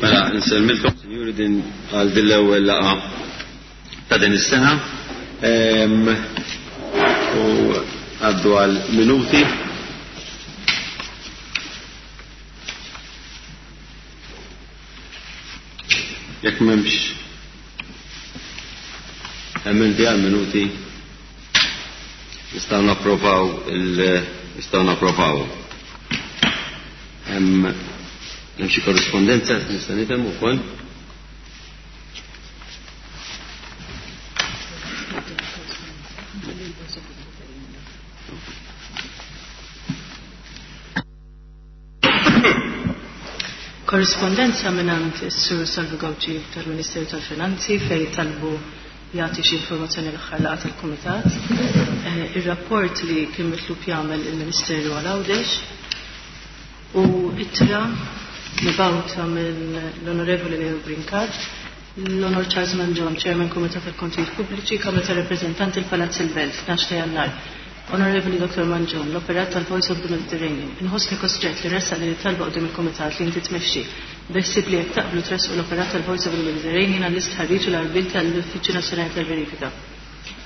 Mela, nsellmilkom, sinjuri, din għal din l-ewwel laqgħa ta' din is-sena. U għaddu għal minuti. Jekk m'hemmx emendi għal minuti nistgħu napprovaw il nistgħu napprovaw. Hemm hemm xi korrispondenza nista' nifhem ukoll. Korrispondenza mingħand is-Sur Salvu Gauci tal-Ministeru tal-Finanzi fejn talbu jagħti xi informazzjoni l-aħħar laqgħa tal-Kumitat. Eh, ir-rapport li kien mitlub jagħmel il-Ministeru għal Għawdex u ittra mibgħuta mill-Onorevoli Leo Brincat l-Onor Charles Mangion, Chairman Kumitat tal-Kontijiet Pubbliċi, Kamra tar-Rappreżentanti l-Palazz il-Belt, 12 ta' Jannar. Onorevoli Dr. Mangion, l-operat tal-Voice of the Mediterranean, inħossni kostrett li ressaq din it-talba quddiem il-Kumitat li inti tmexxi. Beħsieb li jekk taqblu tressqu l-operat tal-Voice of the Mediterranean għall-istħarriġ u l-għarbiel tal-Uffiċċju Nazzjonali tal-Verifika.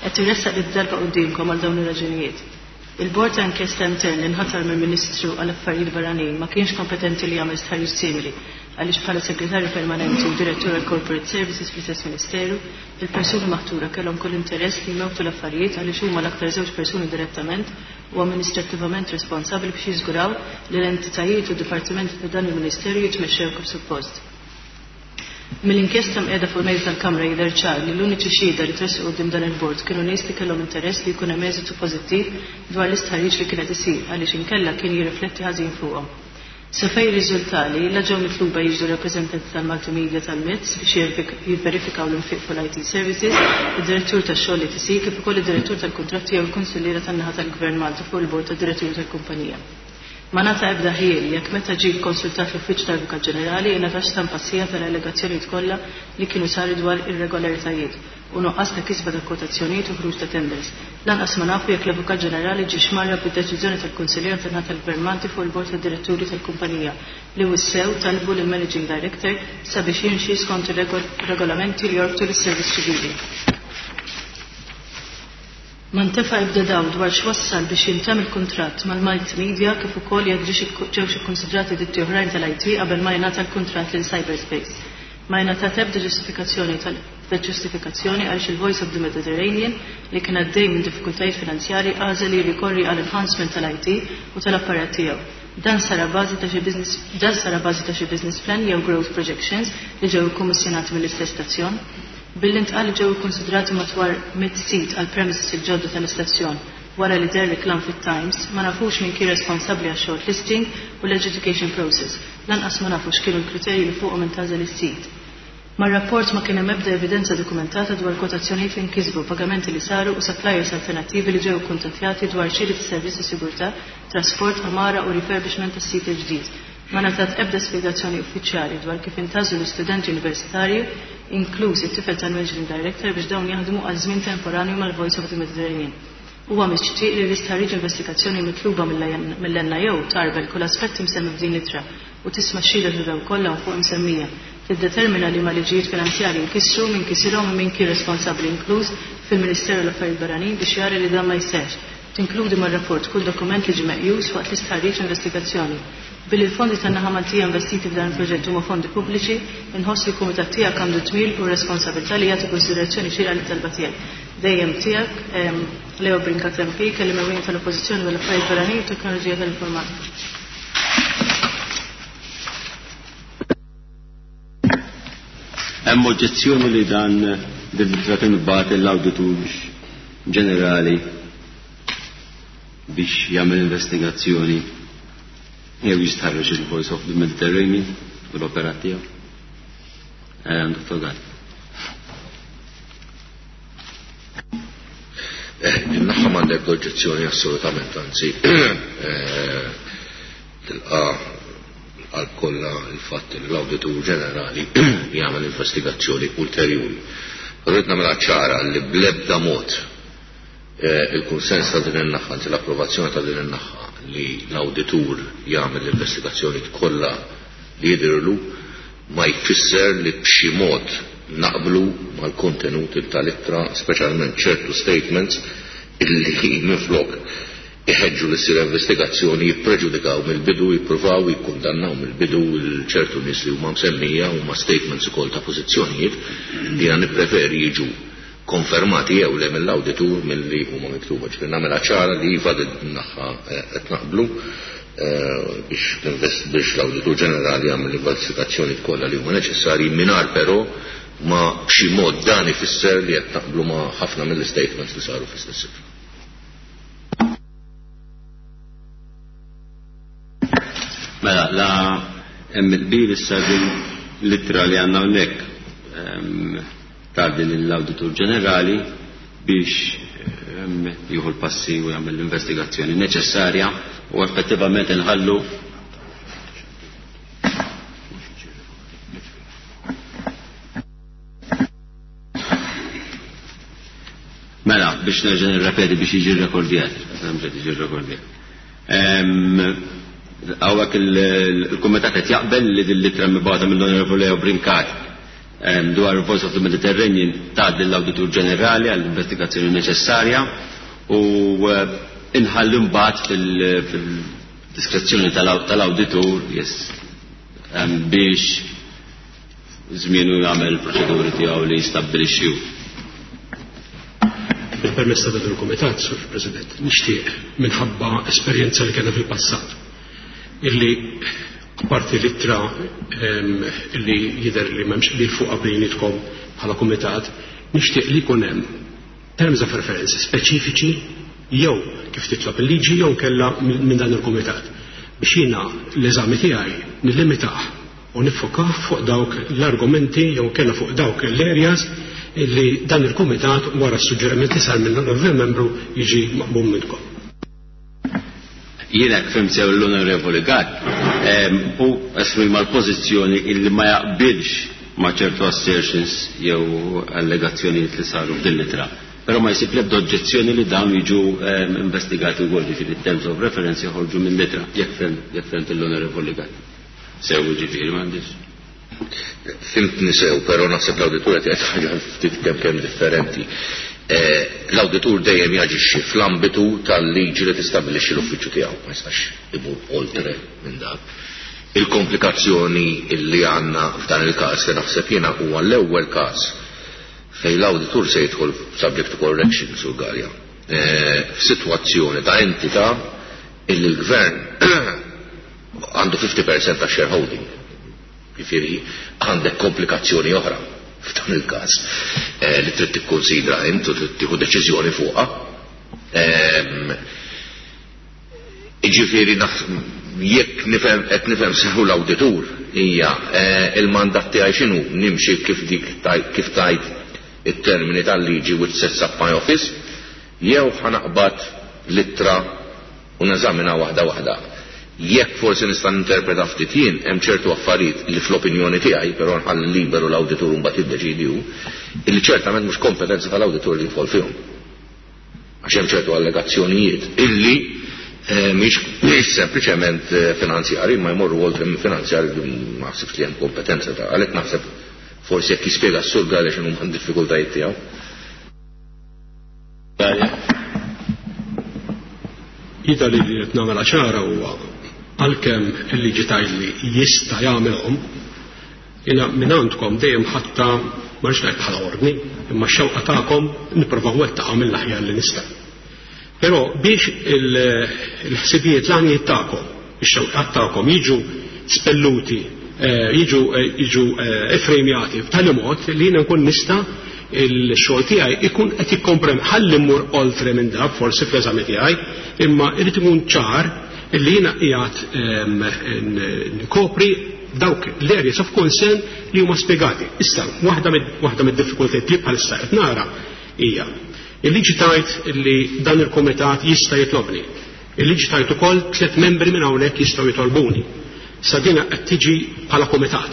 Qed irressaq din it-talba quddiemkom għal dawn ir-raġunijiet. Il-Bord ta' Inkjesta Intern li nħatar mill-Ministru għall-Affarijiet Barranin ma kienx kompetenti li jagħmel stħarriġ simili għaliex bħala Segretarju Permanenti u Direttur għall-Corporate Services fl-istess Ministeru, il-persuni maħtura kellhom kull interess li jmewtu l-affarijiet għaliex huma l-aktar żewġ persuni direttament u amministrattivament responsabbli biex jiżguraw li l-entitajiet u d-dipartimenti ta' dan il-Ministeru jitmexxew kif suppost. Mill-inkjesta mqiegħda fuq il-mejda tal-Kamra jidher ċar li l-uniċi xhieda li tressqu quddiem dan il-Bord kienu nies li kellhom interess li jkun hemm eżitu pożittiv dwar l-istħarriġ li kien qed isir għaliex inkella kien jirrifletti ħażin fuqhom. Sa fejn jirriżultali, la ġew mitluba jiġdu rappreżentanti tal-Maltimedia tal-MITS biex jivverifikaw l-infiq fuq l-IT Services, id-Direttur tax-Xogħol ETC kif ukoll id-Direttur tal-Kuntratti jew il-Kunsilliera tan-naħa tal-Gvern Malti fuq il-Bord tad-Diretturi tal-kumpanija. Ma ngħata ebda ħjiel jekk meta ġie kkonsultat l-Uffiċċju tal-Avukat Ġenerali ingħatax stampa sħiħa tal-allegazzjonijiet kollha li kienu saru dwar irregolaritajiet u nuqqas ta' kisba ta' kwotazzjonijiet u ħruġ ta' tenders. Lanqas ma nafu jekk l-Avukat Ġenerali ġiex mgħarraf bid-deċiżjoni tal-Kunsilliera tan-naħa tal-Gvern Malti fuq il-Bord tad-Diretturi tal-kumpanija li wissew talbu lill-Managing Director sabiex jimxi skont ir-regolamenti li jorbtu lis-Servizz Ċivili. Ma ntefa' ebda dawl dwar x'wassal biex jintemm il-kuntratt mal-Multimedia kif ukoll jekk ġewx ikkunsidrati ditti oħrajn tal-IT qabel ma jingħata l-kuntratt lil Cyberspace. Ma ingħatat ebda ġustifikazzjoni tal ġustifikazzjoni għaliex il-Voice of the Mediterranean li kien għaddej minn diffikultajiet finanzjarji għażel li jirrikorri għal enhancement tal-IT u tal-apparat tiegħu. Dan sar abbażi ta' xi business dan sar abbażi ta' xi business plan jew growth projections li ġew ikkummissjonati mill-istess stazzjon. Billi ntqal li ġew ikkunsidrati madwar 100 sit għall-premises il-ġodda tal-istazzjon wara li deher reklam fit-Times, ma nafux min kien responsabbli għax-shortlisting u l-adjudication process. Lanqas ma nafu x'kienu l-kriterji li fuqhom intgħażel is-sit. Mar-rapport ma kien hemm ebda evidenza dokumentata dwar kwotazzjonijiet li nkisbu, pagamenti li saru u suppliers alternattivi li ġew ikkuntattjati dwar xiri ta' servizz ta' sigurtà, trasport, għamara u refurbishment tas-sit il-ġdid. Ma ngħatat ebda spjegazzjoni uffiċjali dwar kif intgħażlu l-istudenti universitarji, inkluż it-tifel tal-Managing Director, biex dawn jaħdmu għal żmien temporanju mal-Voice of the Mediterranean. Huwa mixtieq li l-istħarriġ investigazzjoni mitluba mill-NIO tgħarbel kull aspett imsemmi f'din l-ittra u tisma' x-xhieda ta' dawk kollha hawn fuq imsemmija. Tiddetermina liema liġijiet finanzjarji nkisru, min kisirhom u min kien responsabbli inkluż fil-Ministeru għall-Affarijiet Barranin biex jara li dan ma jseħħx. Tinkludi mar-rapport kull dokument li ġie meqjus waqt l-istħarriġ u investigazzjoni. Billi l-fondi tan-naħa Maltija investiti f'dan il-proġett huma fondi pubbliċi, inħoss li l-Kumitat tiegħek għandu d-dmir u r-responsabilità li jagħti kunsiderazzjoni xierqa lit-talba tiegħek. Dejjem tiegħek, Leo Brincat MP, Kelliem Ewlieni tal-Oppożizzjoni dwar l-Affarijiet Barranin u t-Teknoloġija tal-Informatika. Hemm oġġezzjoni li dan din l-ittra tinbagħat lill-Awditur Ġenerali biex jagħmel investigazzjoni jew jistħarreġ il-Voice of the Mediterranean u l-operat tiegħu. Eh, Dr. Gall. Eh, Naħa m'għandek oġġezzjoni assolutament, anzi, eh, tilqa għal kollha il-fatt li l-Awditur Ġenerali jagħmel investigazzjoni ulterjuri. Rrid nagħmilha ċara li bl-ebda mod eh, il-kunsens ta' din in-naħa, anzi l-approvazzjoni ta' din in-naħa li l-awditur jagħmel l-investigazzjoni kollha li jidhirlu. ma jfisser li b'xi mod naqblu mal-kontenut tal-ittra, speċjalment ċertu statements illi minflok iħeġġu li ssir investigazzjoni jippreġudikaw mill-bidu, jippruvaw jikkundannaw mill-bidu ċertu nies li huma msemmija, huma statements ukoll ta' pożizzjonijiet li jiena nippreferi jiġu konfermati jew le mill-awditur milli huma miktuba. Ġifieri nagħmilha ċara li iva din naħa qed naqblu biex biex l-Awditur Ġenerali jagħmel l-investigazzjoni kollha li huma neċessarji mingħajr però ma b'xi mod dan ifisser li qed naqblu ma' ħafna mill-statements li saru fl-istess ittra. Mela, la hemm il-qbil issa din l-ittra li għandna hawnhekk tgħaddi lill-Awditur Ġenerali biex jieħu l-passi u jagħmel l-investigazzjoni neċessarja u effettivament inħallu Mela, biex nerġa' nirrepeti biex jiġi rrekordjat. Jiġi rrekordjat. Hawnhekk il-kumitat qed jaqbel li din l-ittra mibgħuta mill-Onorevoli Leo Brincat dwar il-Voice of the Mediterranean tgħaddi l-Awditur Ġenerali għall-investigazzjoni neċessarja u inħalli mbagħad fil-diskrezzjoni tal-awditur biex żmienu jagħmel il-proċeduri tiegħu li jistabbilixxi hu. Bil-permess ta' dan il-Kumitat, Sur President, nixtieq minħabba esperjenza li kellna fil-passat illi apparti l-ittra illi jidher li m'hemmx qbil fuqha bejnietkom bħala Kumitat, nixtieq li jkun hemm terms of reference speċifiċi jew kif titlob il-liġi jew kella minn dan il-Kumitat biex jiena l-eżami tiegħi nillimitah u niffokah fuq dawk l-argumenti jew kella fuq dawk l-areas illi dan il-Kumitat wara s-suġġeriment li sar minn l membru jiġi maqbum minnkom. Jiena jekk fhimt sew l-Onorevoli Gatt, hu esprima l-pożizzjoni illi ma jaqbilx ma' ċertu assertions jew allegazzjonijiet li saru f'din l-ittra. Però ma jsib l-ebda oġġezzjoni li dawn jiġu investigati wkoll, jiġifieri terms of reference joħorġu minn l-ittra, jekk fhemt l-Onorevoli Gatt. Sew jiġifieri m'għandix. Fhimtni sew, però naħseb l-awditur qed jgħid ħaġa ftit kemm kemm differenti. L-awditur dejjem jaġixxi fl-ambitu tal-liġi li tistabbilixxi l-uffiċċju tiegħu, ma jistax imur oltre minn dak. Il-komplikazzjoni li għandna f'dan il-każ li naħseb jiena huwa l-ewwel każ fejn l-awditur se jidħol subject to correction sur Galea f'sitwazzjoni ta' entità illi l-gvern għandu 50% ta' shareholding. Jiġifieri għandek komplikazzjoni oħra f'dan il-każ li trid tikkonsidra int u trid tieħu deċiżjoni fuqha. Jiġifieri jekk nifhem qed nifhem sew l-awditur hija il-mandat tiegħi x'inhu nimxi kif dik kif tajt it-termini tal-liġi which sets up my office jew ħanaqbad l-ittra u neżamina waħda waħda. Jekk forsi nista' ninterpreta ftit jien hemm ċertu affarijiet li fl-opinjoni tiegħi, però nħalli liberu l-awditur mbagħad jiddeċidi hu, illi ċertament mhux kompetenza tal-awditur li jidħol fihom. Għax hemm ċertu allegazzjonijiet illi mhix sempliċement finanzjari, ma jmorru oltre minn finanzjari li ma naħsibx li hemm kompetenza ta' għalhekk naħseb forsi jekk jispjega s-sur Galea x'inhu huma d-diffikultajiet tiegħu. Jidher li qed nagħmilha ċara huwa għalkemm il-liġi tgħidli jista' jagħmilhom, jiena minn għandkom dejjem ħatta ma rridx ngħid bħala ordni, imma x-xewqa tagħkom nipprova nwettaqha mill-aħjar li nista'. Però biex il-ħsibijiet l-għanijiet tagħkom, ix-xewqat tagħkom jiġu spelluti, jiġu jiġu ifrejmjati b'tali mod li jiena nkun nista' il-xogħol tiegħi ikun qed jikkomprem ħalli mmur oltre minn dak forsi fl-eżami tiegħi, imma irid ikun ċar illi jiena qiegħed nkopri dawk l-areas of concern li huma spjegati. Issa, waħda mid-diffikultajiet li bħalissa qed nara hija il-liġi tajt li dan il-kumitat jista' jitlobni. Il-liġi tajt ukoll 3 membri minn hawnhekk jistgħu jitolbuni. Sa dina qed tiġi bħala kumitat.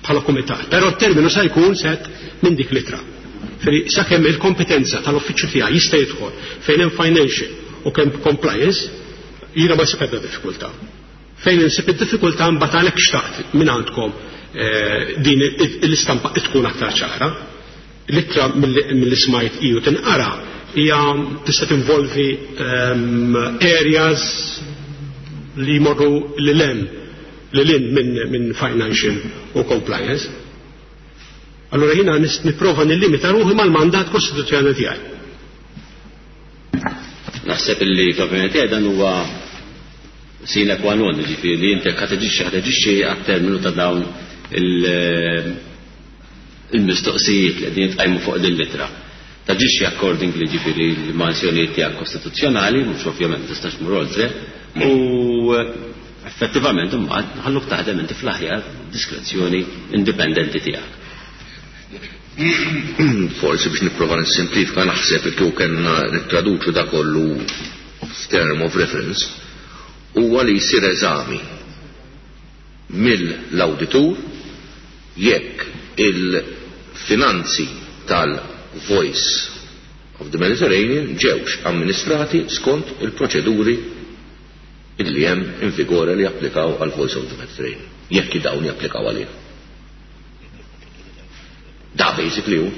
Bħala kumitat. Però t-terminu sa jkun set minn dik l-ittra. Feri sakemm il-kompetenza tal-uffiċċju tiegħi jista' jidħol fejn hemm financial u kemm compliance, jiena ma nsib ebda diffikultà. Fejn insib id-diffikultà mbagħad għalhekk xtaqt minn għandkom din l-istampa tkun aktar ċara. L-ittra milli smajt iju tinqara hija tista' tinvolvi areas li jmorru lil hemm lil hinn minn financial u compliance. Allora jiena nipprova nillimita ruħi mal-mandat kostituzzjonali tiegħi. Naħseb illi fl-opinjoni tiegħi dan huwa sine qua non, ġifieri li inti ħa taġixxi għat-terminu ta' dawn il-mistoqsijiet li qegħdin jitqajmu fuq din l-ittra. Taġixxi accordingly, ġifieri l-manzjonijiet tiegħek kostituzzjonali, mhux ovvjament tistax tmur oltre, u effettivament imbagħad nħalluk taħdem inti fl-aħjar diskrezzjoni indipendenti tiegħek. Forsi biex nipprova nissimplifika, naħseb li kieku kellna nittraduċu da kollu f'term of reference huwa li jsir eżami mill-awditur jekk il-finanzi tal-Voice of the Mediterranean ġewx amministrati skont il-proċeduri illi hemm in vigore li japplikaw għal Voice of the Mediterranean, jekk dawn japplikaw għalih. Da basically hu.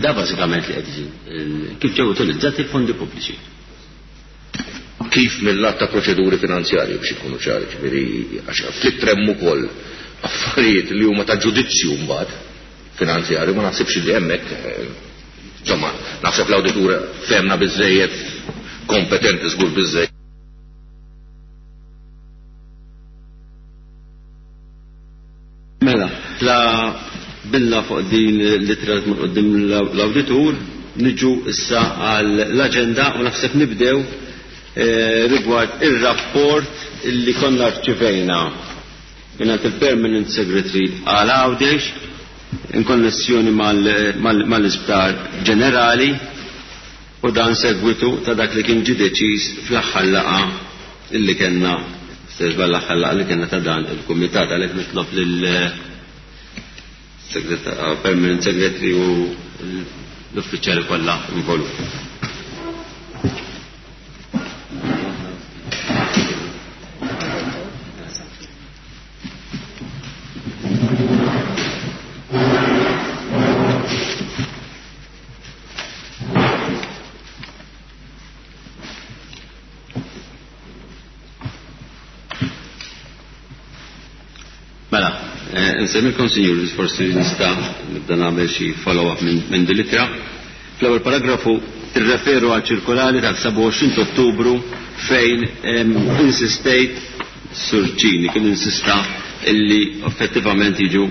Da bażikament li qed kif ġew utilizzati l-fondi pubbliċi. Kif mill-lat ta' proċeduri finanzjarji biex ikunu ċari, ġifieri għax fl-ittra hemm ukoll affarijiet li huma ta' ġudizzju mbagħad finanzjarju, ma naħsibx li hemmhekk, insomma, naħseb l-awditur fehmna biżejjed, kompetenti żgur biżejjed. Mela, la billa fuq din l-ittra li tmur quddiem l-awditur, niġu issa għall-aġenda u naħseb nibdew rigward ir-rapport illi konna rċivejna mingħand il-Permanent Secretary għal Għawdex in konnessjoni mal-Isptar Ġenerali u dan segwitu ta' dak li kien ġie deċiż fl-aħħar laqgħa illi kellna, serba l-aħħar laqgħa li kellna ta' dan il-kumitat. Għalhekk nitlob lil Permanent Secretary u l-uffiċjali kollha involuti. Mela, nsemmilkom, sinjuri, forsi nista' nibda nagħmel xi follow-up minn din l-ittra. Fl-ewwel paragrafu tirreferu għal ċirkolari tal-27 Ottubru fejn insistejt Sur Cini kien insista illi effettivament jiġu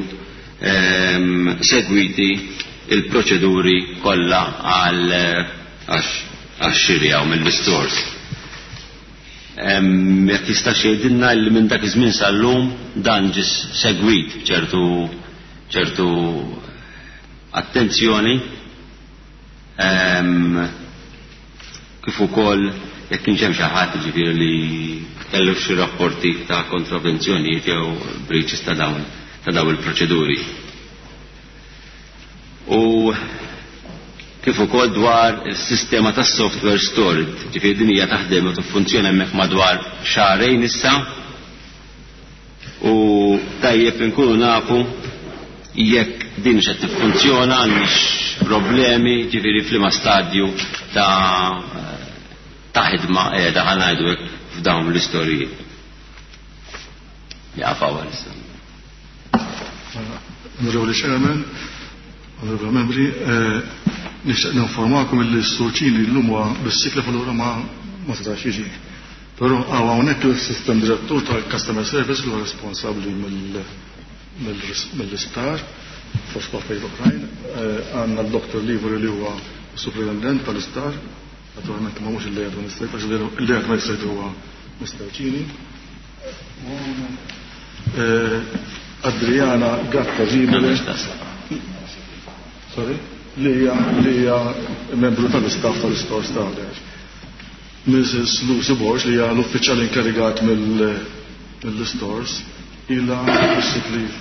segwiti il-proċeduri kollha għax-xiri hawn mill-istores. Jekk jista' jgħidilna li minn dak iż-żmien sal-lum dan ġie segwit ċertu attenzjoni, kif ukoll jekk kienx hemm xi ħadd jiġifieri li kellu xi rapporti ta' kontravenzjonijiet jew breaches ta' dawn il-proċeduri. U kif ukoll dwar is-sistema tas-software stored, ġifieri din hija taħdem u tiffunzjona hemmhekk madwar xahrejn issa, u tajjeb inkunu nafu jekk din x'qed tiffunzjona, għandix problemi, ġifieri f'liema stadju ta' ħidma qiegħda ħa ngħidu hekk f'dawn l-istoriji. Jaqaf hawn issa. Onorevoli Chairman, Onorevoli Membri, nixtieq ninformakom li s-Sur Cini llum huwa bis-sikla allura ma setax jiġi. Però hawn hawnhekk il-System Direttur tal-Customer Service li huwa responsabbli mill-isptar fost affarijiet oħrajn, għandna d-Dr. Livori li huwa Superintendent tal-isptar, naturalment ma mhux il-Lay Administrator, għax il-Lay Administrator huwa Mr. Cini. Adriana Gatta Zibele, sorry, li hija membru tal-istaff tal-Istores ta' Għawdex. Mrs. Lucy Borg, li hija l-uffiċjal inkarigat mill-stores, ilha sick leave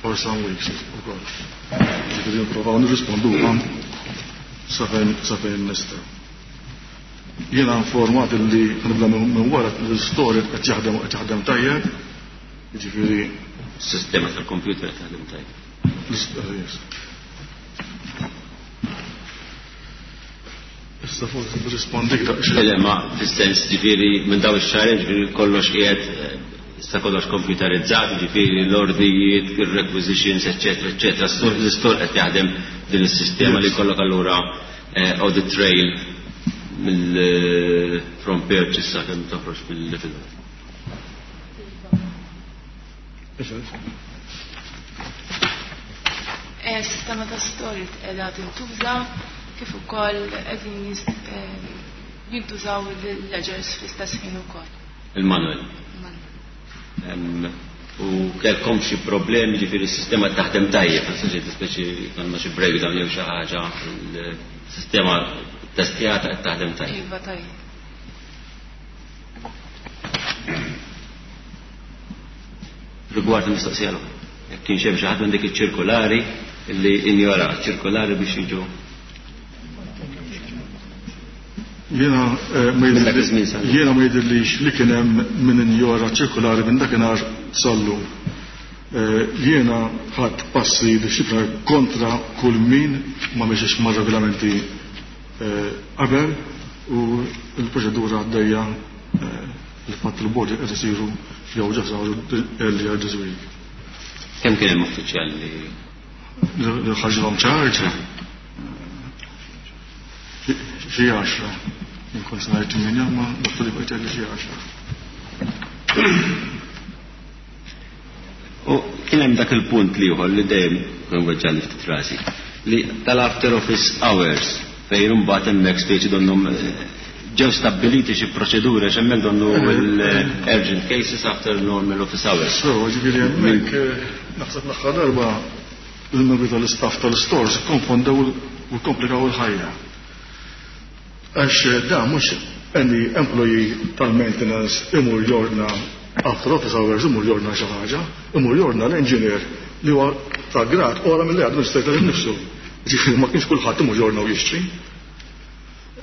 for some weeks ukoll. Ġifieri nipprovaw nirrisponduhom sa fejn nistgħu. Jiena informat li nibda minn wara l-istorja qed jaħdem u qed jaħdem tajjeb. Jiġifieri Sistema tal-computer taħdem tajjeb. Issa forsi nirrispondik daqsxejn. Le, ma fis-sens ġifieri minn dawn ix-xahrejn ġifieri kollox qiegħed issa kollox komputerizzat, ġifieri l-ordnijiet, ir-requisitions, eċċetera, eċċetera. L-istor qed jaħdem din is-sistema li jkollok allura audit trail mill from purchase sakemm toħroġ mill-level. Sistema ta' storage qiegħda tintuża kif ukoll qegħdin jintużaw il-ledgers fl-istess ħin ukoll. Il-manual. U kellkom xi problemi, ġifieri s-sistema taħdem tajjeb, ma tistax speċi jkollna xi breakdown jew xi ħaġa, il-sistema testjata qed taħdem tajjeb. Iva tajjeb. Rigward il-mistoqsija l-oħra, jekk kienx hemm xi ħadd minn dik iċ-ċirkolari illi injora ċirkolari biex jiġu. Jiena Minn dak iż-żmien sal-lum. ma jidhirlix li kien hemm min injora ċirkolari minn dakinhar sal-lum. Jiena ħadt passi dixxiplinari kontra kull min ma mexiex mar-regolamenti qabel u l-proċedura għaddejja il-fatt il-bord qed isiru jew ġa saru earlier this week. Kemm kien hemm uffiċjali li Li ħarġilhom charge? Xi 10. Inkun se ngħid 8, ma dottor li bqajt xi 10. U kien hemm dak il-punt li ieħor li dejjem kien weġġani ftit rasi, li tal-after office hours fejn imbagħad hemmhekk speċi donnhom ġew stabbiliti xi proċeduri għax hemmhekk donnu l-urgent cases after normal office hours. So, ġifieri hemmhekk naħseb l-aħħar darba il-membri tal-istaff tal-stores konfondew u komplikaw il-ħajja. Għax da mhux any employee tal-maintenance imur jordna after office hours imur jordna xi ħaġa, imur jordna l-engineer li huwa ta' grad ora mill-administrator innifsu. Ġifieri ma kienx kulħadd imur jordna u jixtri.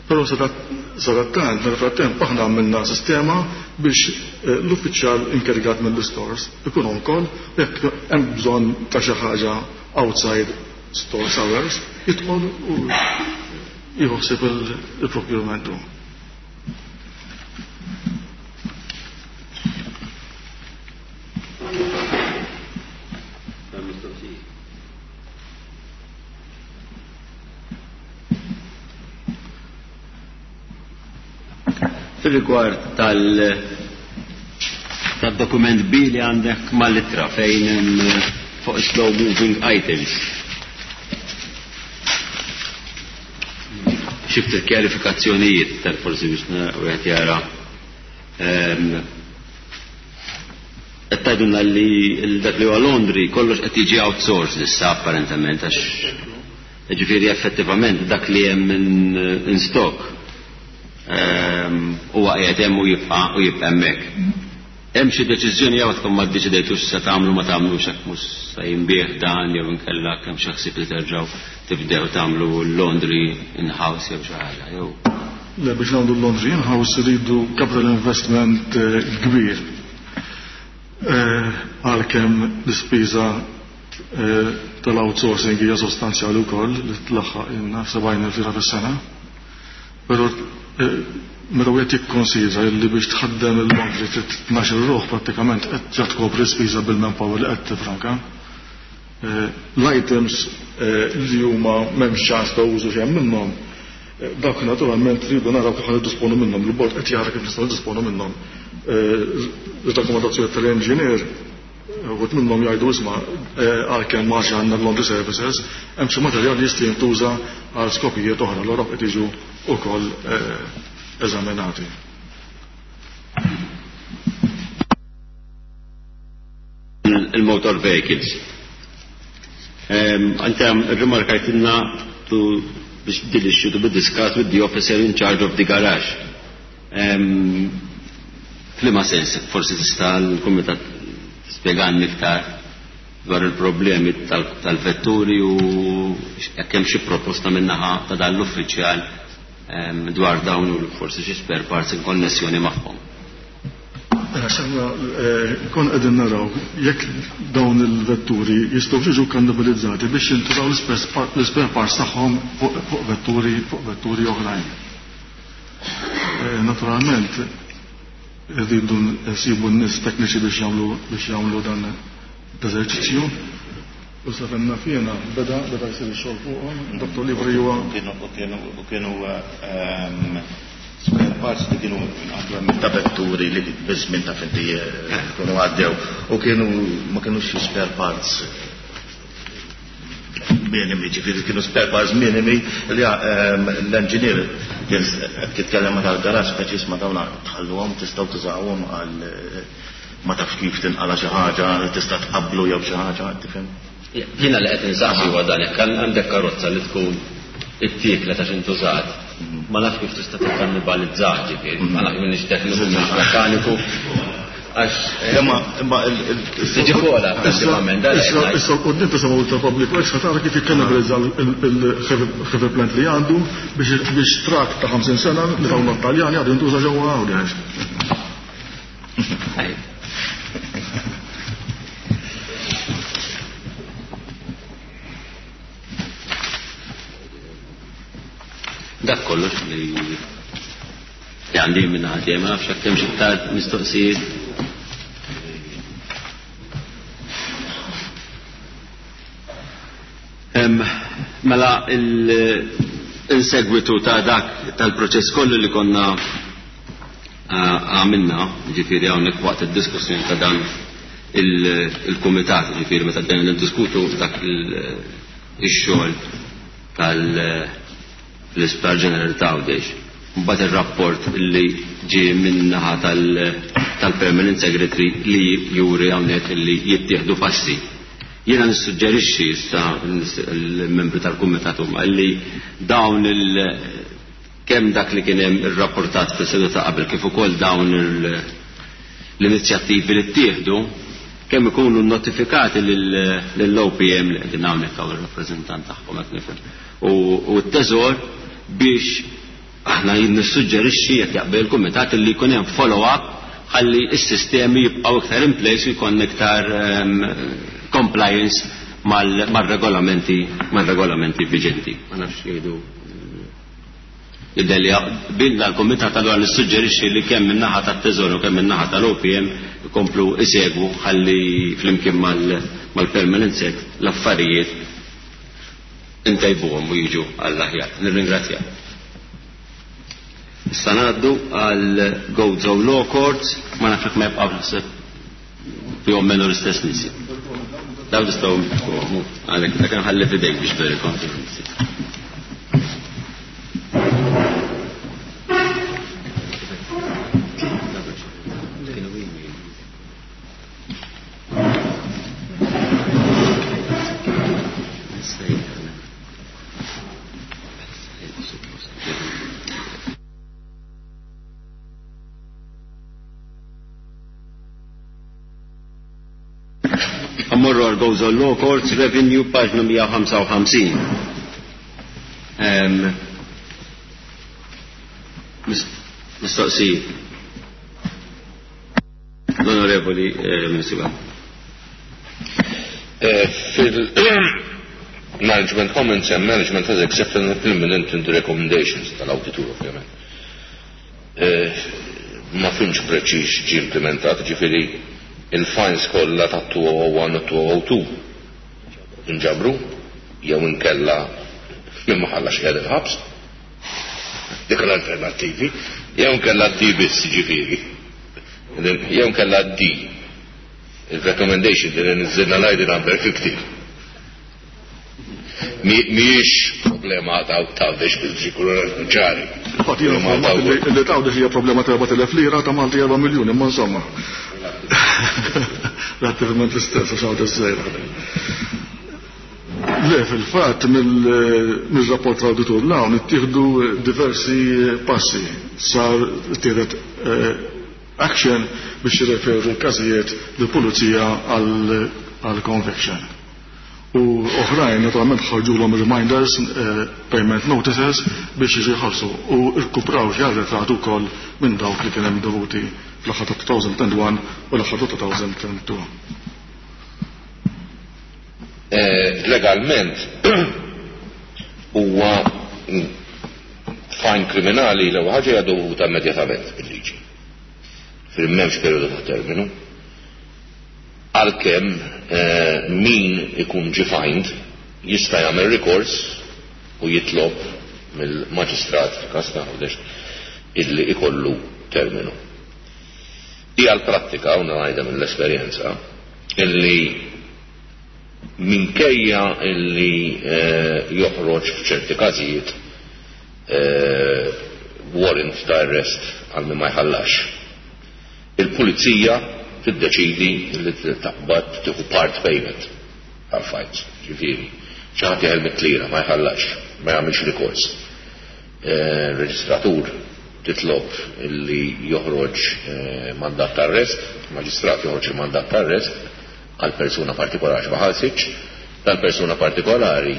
Però sadattant, nel frattemp aħna għamilna sistema biex l-uffiċjal inkarigat mill-stores ikun on call jekk hemm bżonn ta' xi ħaġa outside stores hours jidħol u jieħu ħsieb il-procurement hu. Fil-rigward tal-dokument B li għandek mal-ittra fejn hemm fuq slow moving items. Xi ftit kjarifikazzjonijiet tal-forsi biex wieħed jara. Qed tgħidulna li dak li huwa laundry kollox qed jiġi outsourced issa apparentament għax ġifieri effettivament dak li hemm in stock huwa qiegħed hemm u jibqa' u jibqa' hemmhekk. Hemm xi deċiżjoni jew tkun ma ddeċidejtux se tagħmlu ma tagħmlux hekk mhux se jinbih dan jew inkella kemm xi ħsieb li terġgħu tibdew tagħmlu l-laundry in-house jew xi ħaġa jew. Le biex nagħmlu l-laundry in-house iridu capital investment kbir. Għalkemm l-ispiża tal-outsourcing hija sostanzjali wkoll li tlaħħaq ilna f'sebgħin elf lira fis-sena. Però meta wieħed jikkonsidra li biex tħaddem il-laundry trid tnax-il ruħ prattikament qed ġa tkopri spiża bil-manpower li qed tifranka. L-items li huma m'hemmx ċans ta' użu xejn minnhom, dawk naturalment rridu naraw kif ħa niddisponu minnhom, il-bord qed jara kif nistgħu niddisponu minnhom. Ir-rakkomandazzjoni tal-engineer uħud minnhom jgħidu isma' għalkemm ma għandna laundry services, hemm xi materjal li jista' jintuża għal skopijiet oħra, allura qed jiġu wkoll eżaminati. Il-motor vehicles. Ante rimarkajtilna to biex din issue to be discussed with the officer in charge of the garage. F'liema sens, forsi tista' l-Kumitat tispjegani iktar dwar il-problemi tal-vetturi u jekk hemm xi proposta min-naħa ta' dan l-uffiċjal dwar dawn u forsi xi spare parts in konnessjoni magħhom. Għax aħna konna qegħdin naraw jekk dawn il-vetturi jistgħu jiġu kannibalizzati biex jintużaw l-ispare parts tagħhom fuq vetturi fuq vetturi oħrajn. Naturalment irridu nsibu n-nies tekniċi biex jagħmlu biex jagħmlu dan l-eżerċizzju. U sa fejn naf jiena beda beda jsir ix-xogħol fuqhom, Dottor Libri huwa Kienu kienu kienu spare parts li kienu inqablu ta' vetturi li biż-żmien taf inti kienu għaddew u kienu ma kinux xi spare parts minimi, ġifieri kienu spare parts minimi li l-engineer kien qed jitkellem ma' tal-garaġġ speċi isma' dawn tħalluhom tistgħu tużawhom għal ma tafx kif tinqala' xi ħaġa tista' tqabblu jew xi ħaġa, tifhem? Jiena li qed insaqsi huwa dan, jekk għandek karozza li tkun ittieklet għax intużat, ma nafx kif tista' tikkannibalizzah, ġifieri, ma nafx m'iniex tekniku, m'iniex mekkaniku, għax Imma imma il tiġi kola prattikament dan Issa issa l-quddiem tisimgħu tal-Public Works ħa tara kif jikkannibalizza il-heavy plant li għandu biex biex trakk ta' 50 sena li tawna t-Taljani għadu jintuża ġewwa Għawdex. Dak kollox li li għandi minn ħadd ma nafx hekk hemm xi iktar mistoqsijiet. Mela il-segwitu ta' dak tal-proċess kollu li konna għamilna, ġifieri hawnhekk waqt id-diskussjoni ta' dan il-kumitat, ġifieri meta bdejna niddiskutu dak ix-xogħol tal-Isptar Ġenerali ta' Għawdex. Mbagħad ir-rapport li ġie min-naħa tal-Permanent Secretary li juri hawnhekk li jittieħdu passi. Jiena nissuġġerixxi issa l-membri tal-kumitat huma li dawn il kemm dak li kien hemm irrapportat fis-seduta qabel kif ukoll dawn l-inizjattivi li ttieħdu kemm ikunu notifikati lill-OPM li qegħdin hawnhekk hawn ir-rappreżentant tagħhom qed nifhem u t-teżor biex aħna nissuġġerixxi jekk jaqbel il-kumitat li jkun hemm follow-up ħalli s-sistemi jibqgħu iktar in place u jkun iktar compliance mal-regolamenti mal-regolamenti viġenti. Ma nafx jgħidu Jidher li bilna l-Kumitat allura nissuġġerixxi li kemm min-naħa tat-Teżor u kemm min-naħa tal-OPM ikomplu isegwu ħalli flimkien mal-Permanent Sec l-affarijiet intejbuhom u jiġu għall-aħjar. Nirringrazzja. Issa ngħaddu għal Gozo Law Courts, ma nafx jekk ma jibqgħux naħseb fihom menu l-istess nies. Dawn tistgħu għalhekk dak nħalli f'idejk biex very confidence. Ammorru għal Gozo Law Courts Revenue paġna 155. Mistoqsijiet. L-Onorevoli Ministru. Fil-Management Comments and Management has accepted and implemented the recommendations tal-auditur ovvjament. Ma fimx preċiż ġie implementat, ġifieri il-fines kollha ta' 2001 u 2002 inġabru jew inkella minn ma ħallax qiegħed il-ħabs. Dik l-alternattivi, jew inkella D biss ġifieri. Jew inkella D. Il-recommendation li niżilna l-ID number 50. Mhijiex problema ta' Għawdex biex ikunu ċari. Infatti jiena informat li ta' Għawdex hija problema ta' 4,000 lira ta' Malti 4 miljuni, imma insomma. Relattivament l-istess għax Għawdex żgħira. Le, fil-fatt mill-rapport tal-awditur l-hawn ittieħdu diversi passi. Sar ittieħdet action biex jirreferu l-każijiet lill-pulizija għal conviction. U oħrajn naturalment ħarġulhom reminders, payment notices biex jiġu jħallsu u rkupraw xi arretrat ukoll minn dawk li kien hemm dovuti fl-aħħar ta' 2001 u l-aħħar ta' 2002. Legalment huwa fine kriminali l-ewwel ħaġa hija dovuta immedjatament bil-liġi. Ġifieri m'hemmx perjodu ta' terminu. Għalkemm min ikun ġie fined jista' jagħmel rikors u jitlob mill-maġistrat fil-każ ta' Għawdex illi ikollu terminu. Hija l-prattika, u ngħidha mill-esperjenza, illi minkejja illi joħroġ f'ċerti każijiet warrant ta' arrest għal min ma jħallax, il-pulizija tiddeċidi li taqbad tieħu part payment tal-fines. Ġifieri, xi ħadd jeħel mit-tlira ma jħallax, ma jagħmilx rikors. Reġistratur titlob illi joħroġ mandat ta' arrest, il-maġistrat joħroġ il-mandat ta' arrest għal persuna partikolari ma ħallsitx, tal-persuna partikolari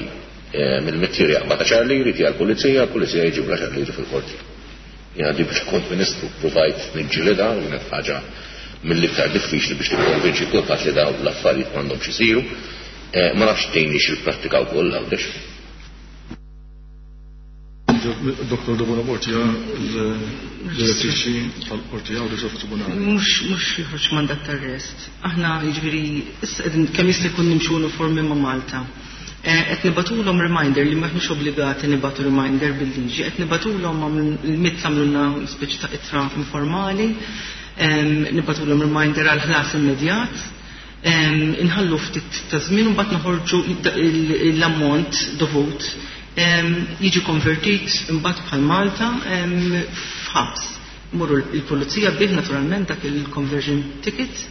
mill-mittier jaqbad għaxar liri tiegħu l-pulizija, l-pulizija jġib l-għaxar liri fil-qorti. Jiena di biex kont ministru provajt niġġielidha, kienet ħaġa mill-iktar diffiċli biex tikkonvinċi kulħadd li dawn l-affarijiet m'għandhomx isiru. Ma nafx tgħinix il-prattika wkoll Għawdex. Dr. Debono Borg hija l-direttriċi tal-Qorti Għawdex u Tribunali. Mhux joħroġ mandat ta' arrest. Aħna jiġifieri issa qegħdin kemm jista' jkun nimxu uniformi ma' Malta. Qed nibatulhom reminder li m'aħniex obbligati nibatu reminder bil-liġi, qed nibatulhom il-MITS għamlulna speċi ta' ittra informali, nibatulhom reminder għal ħlas immedjat, inħallu ftit ta' żmien u mbagħad noħorġu l-ammont dovut jiġi konvertit imbagħad bħal Malta f'ħabs. Imorru l-pulizija bih naturalment dak il-conversion ticket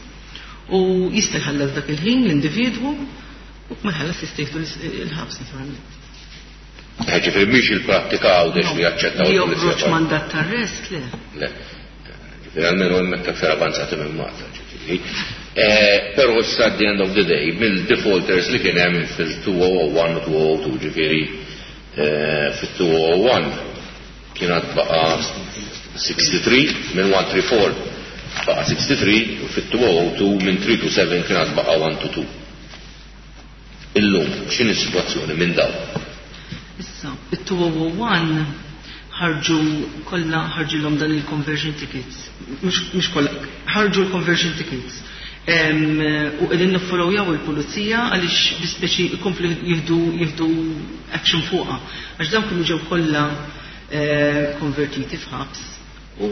u jista' jħallas dak il-ħin l-individwu u ma jħallas jista' jieħdu l-ħabs naturalment. Ġifieri mhix il-prattika Għawdex li jaċċettaw Li il-pulizija joħroġ kollha. mandat ta' arrest, le. Le. Ġifieri almenu hemmhekk aktar avanzati minn Malta, ġifieri. Però issa at the end of the day, mill-defaulters li kien hemm fil-2001 u 2002, ġifieri fil-2001 kien għad baqa' 63, minn 134 baqa' 63, u fil-2002 minn 327 kien għad baqa' 122. Illum, x'inhi s-sitwazzjoni minn dawn? Issa, it-2001 ħarġu kollha ħarġilhom dan il-conversion tickets. Mhux kollha, ħarġu l-conversion tickets. U qegħdin niffollowjaw il-pulizija għaliex bi speċi jkomplu jieħdu action fuqha. Għax dawn kienu ġew kollha konvertiti f'ħabs. U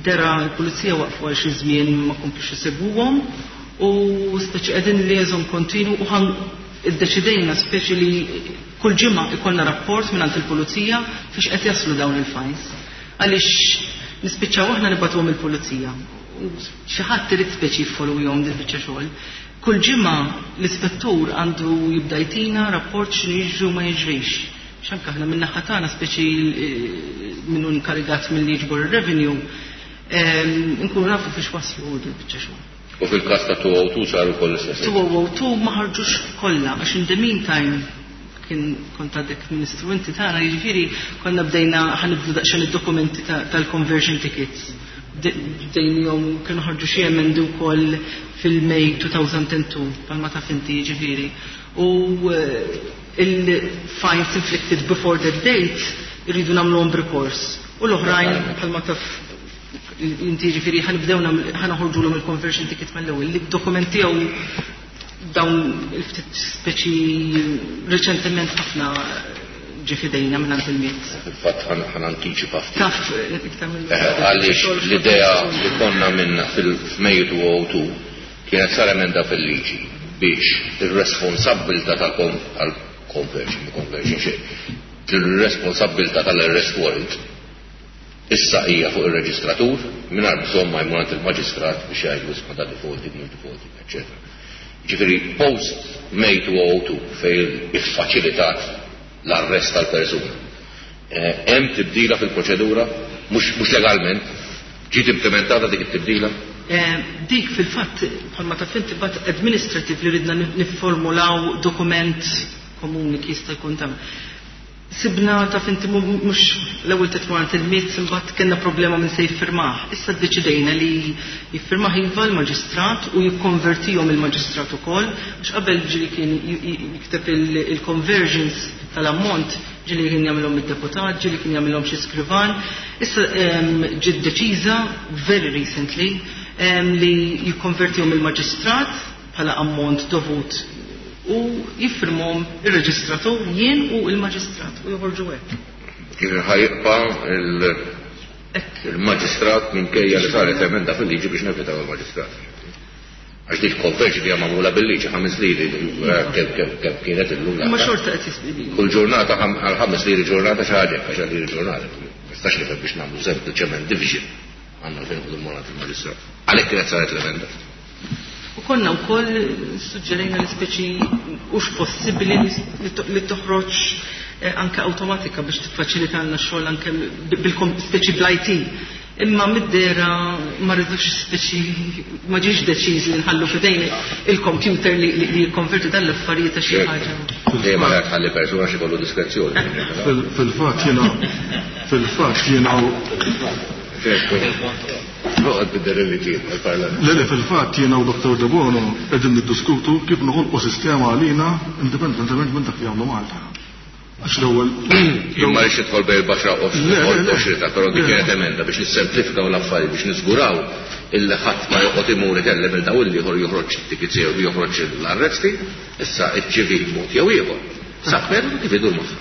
dera l-pulizija waqfu għal xi żmien ma komplux isegwuhom u speċi qegħdin liaison kontinu u ħan iddeċidejna speċi li kull ġimgħa ikollna rapport mingħand il-pulizija fiex qed jaslu dawn il-fines. Għaliex nispiċċaw aħna nibgħatuhom il-pulizija. U xi ħadd irid speċi jiffollowjhom din biċċa xogħol. Kull ġimgħa l-ispettur għandu jibda jtina rapport x'inhu jiġri u ma jiġrix. X'anke aħna min-naħa tagħna speċi minnu inkarigat milli jiġbor ir-revenue, nkunu nafu fiex waslu din biċċa xogħol. U fil-każ ta' 202 saru kollha l-istess. 202 ma ħarġux kollha għax in the meantime kien kont għadek ministru inti tagħna, jiġifieri konna bdejna ħanibdu daqsxejn id-dokumenti tal-conversion tickets. Bdejnihom kienu ħarġu xi emendi wkoll fil-May 2002 bħalma taf inti jiġifieri. U il-fines inflicted before that date irridu nagħmluhom b'rikors. U l-oħrajn bħalma taf inti jiġifieri ħanibdew ħanoħorġulhom il-conversion ticket mill-ewwel. Li d-dokumenti jew dawn il-ftit speċi reċentement ħafna ġie f'idejna minn għand il-MIT. Fil-fatt ħan antiċipa ftit. Taf, iktar mill- Għaliex l-idea li konna minna fil-Mejju 2002 kienet sar emenda fil-liġi biex ir-responsabbiltà tal-conversion, conversion xejn, il-responsabbiltà tal-arrest warrant issa hija fuq ir-reġistratur mingħajr bżonn ma jmur għand il-maġistrat biex jgħidu isma' ta' defaulting, mhux defaulting, eċċetera. Ġifieri post May 2002 fejn iffaċilitat l-arrest tal-persuna. Hemm tibdila fil-proċedura, mhux legalment, ġiet implementata dik it-tibdila? Dik fil-fatt bħalma taf inti bat administrative li ridna nifformulaw dokument komuni kif jista' jkun ta' Sibna taf inti mhux l-ewwel titmur għand il-MITS, imbagħad kellna problema minn se jiffirmah. Issa ddeċidejna li jiffirmah iva l-maġistrat u jikkonvertihom il-maġistrat ukoll, għax qabel ġieli kien jikteb il-conversions tal-ammont, ġieli kien jagħmilhom id-deputat, ġieli kien jagħmilhom xi skrivan. Issa ġiet deċiża very recently li jikkonvertihom il-maġistrat bħala ammont dovut u jiffirmhom ir-reġistratur, jien u l-maġistrat, u joħorġu hekk. Kif ħa jibqa' il-maġistrat minkejja li saret emenda fil-liġi biex nevitaw il-maġistrat. Għax dik conversion hija magħmula bil-liġi 5 liri, kemm kienet illum. Ma xorta qed jisbili. Kull ġurnata għal 5 liri ġurnata xi ħaġa, għax liri ġurnata. Ma nistax nifhem biex nagħmlu sempliċement division. Għandna fejn ħudu morat il-maġistrat. Għalhekk kienet saret l-emenda. U konna wkoll suġġerejna li speċi hux possibbli li toħroġ anke awtomatika biex tiffaċilitalna x-xogħol anke speċi bl-IT. Imma mid-dera ma rridux speċi ma ġiex deċiż li nħallu f'idejn il-computer li jikkonverti dan l-affarijiet ta' xi ħaġa. Dejjem ma tħalli persuna xi kollu diskrezzjoni. Fil-fatt jiena fil-fatt jiena Noqgħod bid-dereliġijiet tal-Parlament. Le, le, fil-fatt jiena u Dottor Debono qegħdin niddiskutu kif noħolqu sistema għalina indipendentement minn dak li jagħmlu Malta. Għax l-ewwel Jien ma rridx nidħol bejn il-baxra u Le, le, le. l-oxrita, però dik Le. kienet emenda biex nissemplifikaw l-affarijiet, biex niżguraw illi ħadd ma joqgħod imur ikellem il daw il-ieħor joħroġ it-tickets jew joħroġ l-arresti, issa iċ-ċivil mod jew ieħor. Sab metodu kif idur magħha.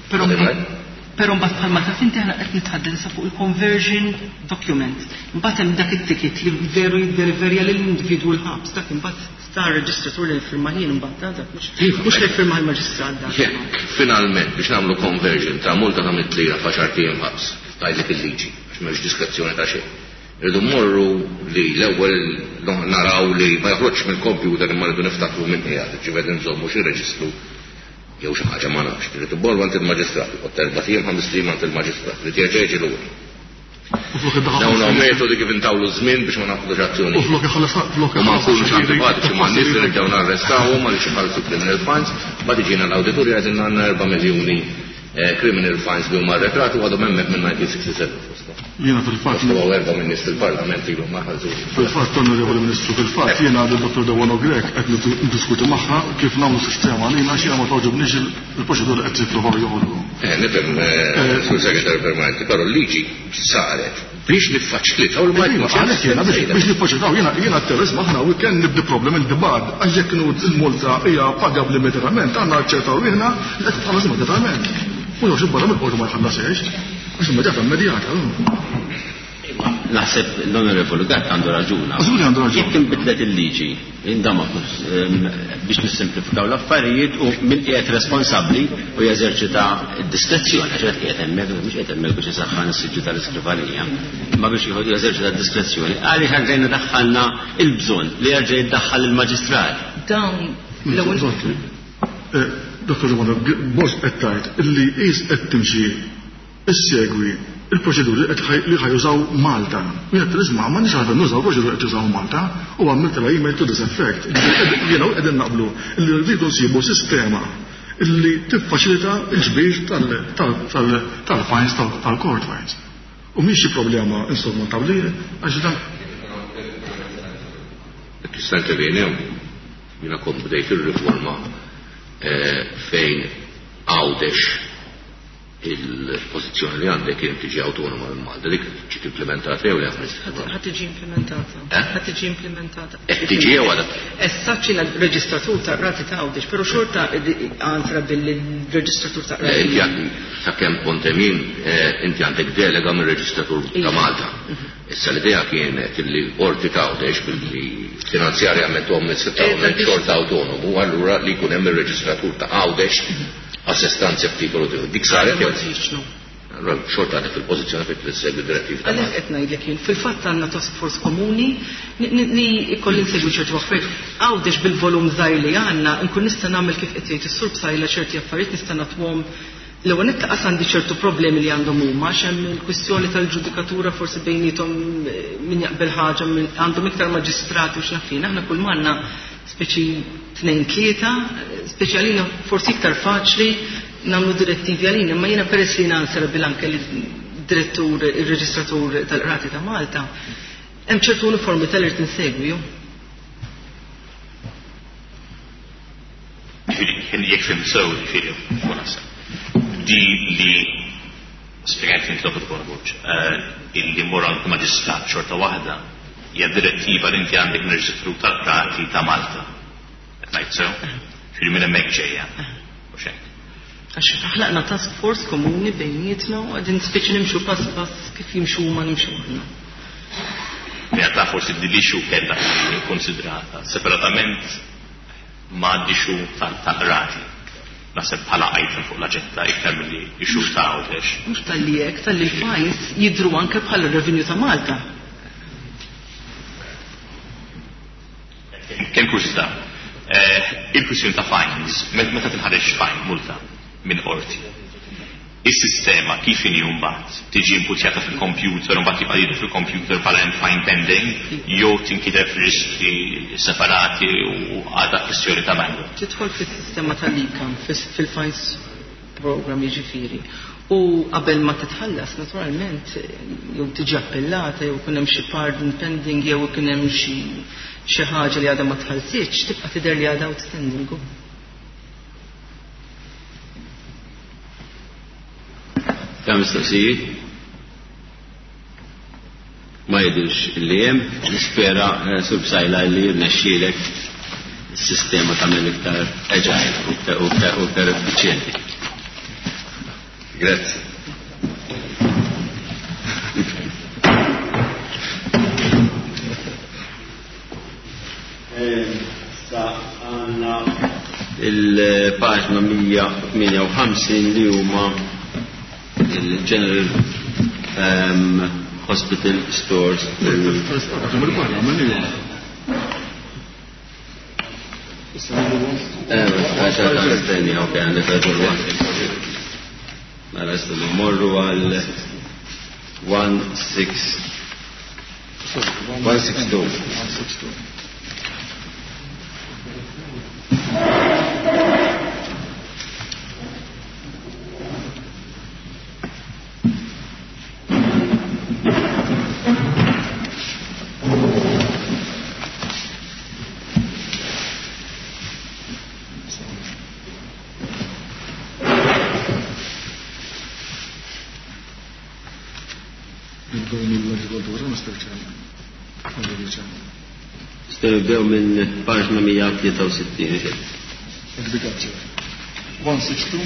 Però Għadem, right? Però mbagħad bħalma taf inti aħna qed nitħadded issa fuq il-conversion document. Mbagħad hemm dak it-ticket li veru jiddeliverja lill-individwu l-ħabs, dak imbagħad sta reġistratur li jiffirma ħin imbagħad dak mhux li jiffirma l-maġistrat dak. Jekk finalment biex nagħmlu conversion ta' multa ta' mitt lira f'għaxar ijiem ħabs, tgħidlek il-liġi, għax m'hemmx diskrezzjoni ta' xejn. Irridu mmorru li l-ewwel naraw li ma joħroġx mill-computer imma rridu niftakru minn qiegħed, ġifieri nżommu xi reġistru jew xi ħaġa ma nafx. Trid immorru għand il-maġistrat, joqgħod erba' ijiem, ħames ijiem għand il-maġistrat, li jerġa' jiġi lura. U flok iddaħħal Dawn hawn metodi kif intawlu żmien biex ma nagħmlux azzjoni. U flok iħallas flok U ma iħallas nkunux għaxar liri, antipatiċi ma' nies li nibdew narrestawhom għaliex iħallsu criminal fines, ma tiġina l-awditur jgħidilna għandna 4 miljuni criminal fines li huma arretrati u għadhom hemmhekk minn 1967 fosthom. Jiena fil-fatt Fosthom hawn 4 minn nies fil-Parlament ilhom ma ħallsux. Fil-fatt, Onorevoli Ministru, fil-fatt jiena għad il-Dottor Debono Grech qed niddiskuti magħha kif nagħmlu sistema għalina għax jiena ma togħġobniex il-proċedura qed jippruvaw joħolqu. Nifhem, Sur Segretarju Permanenti, però l-liġi saret biex niffaċilitaw il Iva, għalhekk jiena biex niffaċilitaw, jiena t-terrorizmu aħna we can nibdi problem in the bud, għax jekk kienu il-multa hija pagabbli immedjatament, għandna ċertaw ruħna li qed titħallas immedjatament. U jew xi barra mill-qorti ma jħallasiex, għax immedjata immedjata. Naħseb l-Onorevoli Gatt għandu raġuna. Żgur li għandu raġun. Jekk inbidlet il-liġi, indama biex nissimplifikaw l-affarijiet u min qiegħed responsabbli u jeżerċita d-diskrezzjoni, għax qed qiegħed hemmhekk, mhux qiegħed hemmhekk biex isaħħan is-siġġu tal-iskrivanija, imma biex jeżerċita d-diskrezzjoni, għaliex għandna daħħalna il-bżonn li jerġa' jiddaħħal il-maġistrat. Dawn l-ewwel Dottor Romano, Borg qed tgħid illi qis qed timxi issegwi il-proċeduri li ħajużaw Malta. U jgħid l-isma' ma nix għalfejn nużaw proċeduri qed jużaw Malta u għamilt la email to this effect. Jiena qegħdin naqblu li rridu nsibu sistema illi tiffaċilita l-ġbir tal-fines, tal-court fines. U mhix xi problema insurmontabbli għax dan. Tista' intervjeni hawn. Jiena kont bdejt ir-riforma fejn Għawdex il-pożizzjoni li għandek kien tiġi autonoma minn Malta, dik ġiet implementata jew le? Ħa tiġi implementata. Eh? Ħa tiġi implementata. Qed tiġi jew għadha? Issa ċina reġistratur ta' rati ta' Għawdex, però xorta għantra billi l-reġistratur ta' rati. Inti sakemm kont hemm jien, inti għandek delega mir-reġistratur ta' Iva. Malta. Issa l-idea kienet li qorti ta' Għawdex billi finanzjarjament u amministrattivament xorta autonomu, allura li jkun hemm ir-reġistratur ta' Għawdex assistanza f'titolu tiegħu. Dik saret jew? Ma tridx, no. Allora xorta għadek fil-pożizzjoni fejn trid issegwi d-direttiva ta' Għalhekk Malta. qed ngħidlek jien, fil-fatt għandna task force komuni li jkolli nsegwi ċertu affarijiet. Għawdex bil-volum żgħir li għandna, nkun nista' nagħmel kif qed jgħid is-sur Psaila ċerti affarijiet nista' nagħtuhom L-ewwel nett lanqas għandi ċertu problemi li għandhom huma għax hemm il-kwistjoni tal-ġudikatura forsi bejniethom min jaqbel ħaġa min għandhom iktar maġistrati u x'naf jien. Aħna kull m'għandna speċi tnejn tlieta, speċi għalina forsi iktar faċli nagħmlu direttivi għalina, imma jiena peress li jiena answerable anke lid-direttur, ir-reġistratur tal-Qrati ta' Malta, hemm ċertu uniformità li rrid insegwi. Jiġifieri jekk fhimt sew, jiġifieri u naħseb di li spjegajt inti Dottor Borg, illi mmur għand maġistrat xorta waħda hija direttiva li inti għandek mir-Reġistru tal-Qrati ta' Malta. Qed ngħid sew? Jiġifieri minn hemmhekk ġejja. Mhux hekk? Għax ħlaqna task force komuni bejnietna u qegħdin spiċċi nimxu pass pass kif jimxu huma nimxu aħna. Realtà forsi din l-issue kellha tiġi kkonsidrata separatament ma' l-issue tal-qrati. Naħseb bħala item fuq l-aġenda iktar milli issue ta' Għawdex. Mhux talli hekk, talli l-fines jidhru anke bħala revenue ta' Malta. Kemm kurżità. Il-kwistjoni ta' fines, meta tinħareġ fine, multa, minn qorti, is-sistema kif inhi mbagħad? Tiġi inputjata fil-computer u mbagħad jibqa' jidher fil-computer bħala hemm fine pending jew tinkiteb f'reġistri separati u għadha kwistjoni ta' manual? Tidħol fis-sistema tal-ecam, fil-fines program jiġifieri. U qabel ma titħallas, naturalment, jew tiġi appellata, jew ikun hemm xi pardon pending, jew ikun hemm xi xi ħaġa li għadha ma tħallsitx, tibqa' tidher li għadha outstanding. Kemm mistoqsijiet? Ma jidhirx li hemm, nispera eh, Sur Psaila li jirnexxielek is-sistema tagħmel iktar agile u iktar effiċjenti. Grazzi. Sa għandna il-paġna 158 li huma il-General Hospital Stores. Mela issa mmorru għal 162. Nibdew mill-agrikoltura, Mr. Chairman. Honorable Chairman. Nistgħu nibdew minn paġna 163. Agriculture. 162.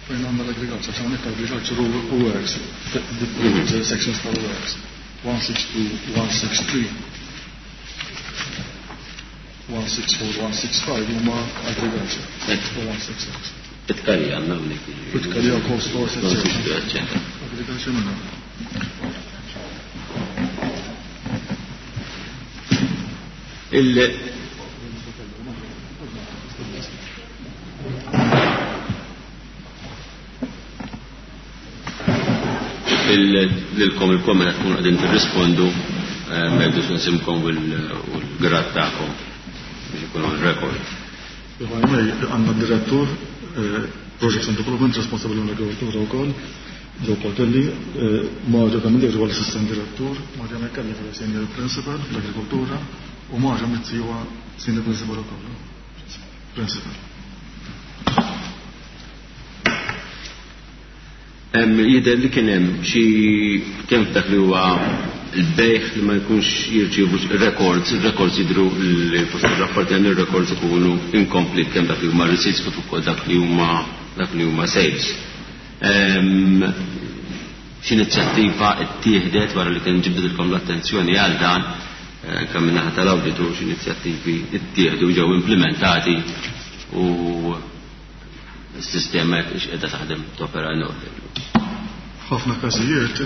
Fejn għandna l-agriculture, hawnhekk agriculture u works, the sections tal-works. 162, 163. 164, 165 huma agriculture. U 166. Pitkarija għandna hawnhekk. Pitkarija cold stores, eccetera. Agriculture minna. Il lilkom il-kom meta tkunu qegħdin tirrispondu ma jgħidux nisimkom u l-grad tagħkom biex ikun on record. Għandna direttur Projects and Development responsabbli mill-agrikoltura wkoll, Joe Portelli, Marja Camilleri huwa l-assistant direttur, Marja Mekkelli huwa senior principal fl-agrikoltura u Marja Mizzi huwa senior principal ukoll. Principal. Jidher li kien hemm xi kemm f'dak li huwa l-bejgħ li ma jkunx jirċievu records, il-records jidhru li fost ir-rapporti hemm ir-records ikunu incomplete kemm dak li huma receipts kif ukoll dak li huma dak li huma sales. X'inizjattiva ttieħdet wara li kien ġibdilkom l-attenzjoni għal dan kemm min-naħa tal-awditur x'inizjattivi ttieħdu ġew implementati u s-sistema qiegħda taħdem topera in order. F'ħafna każijiet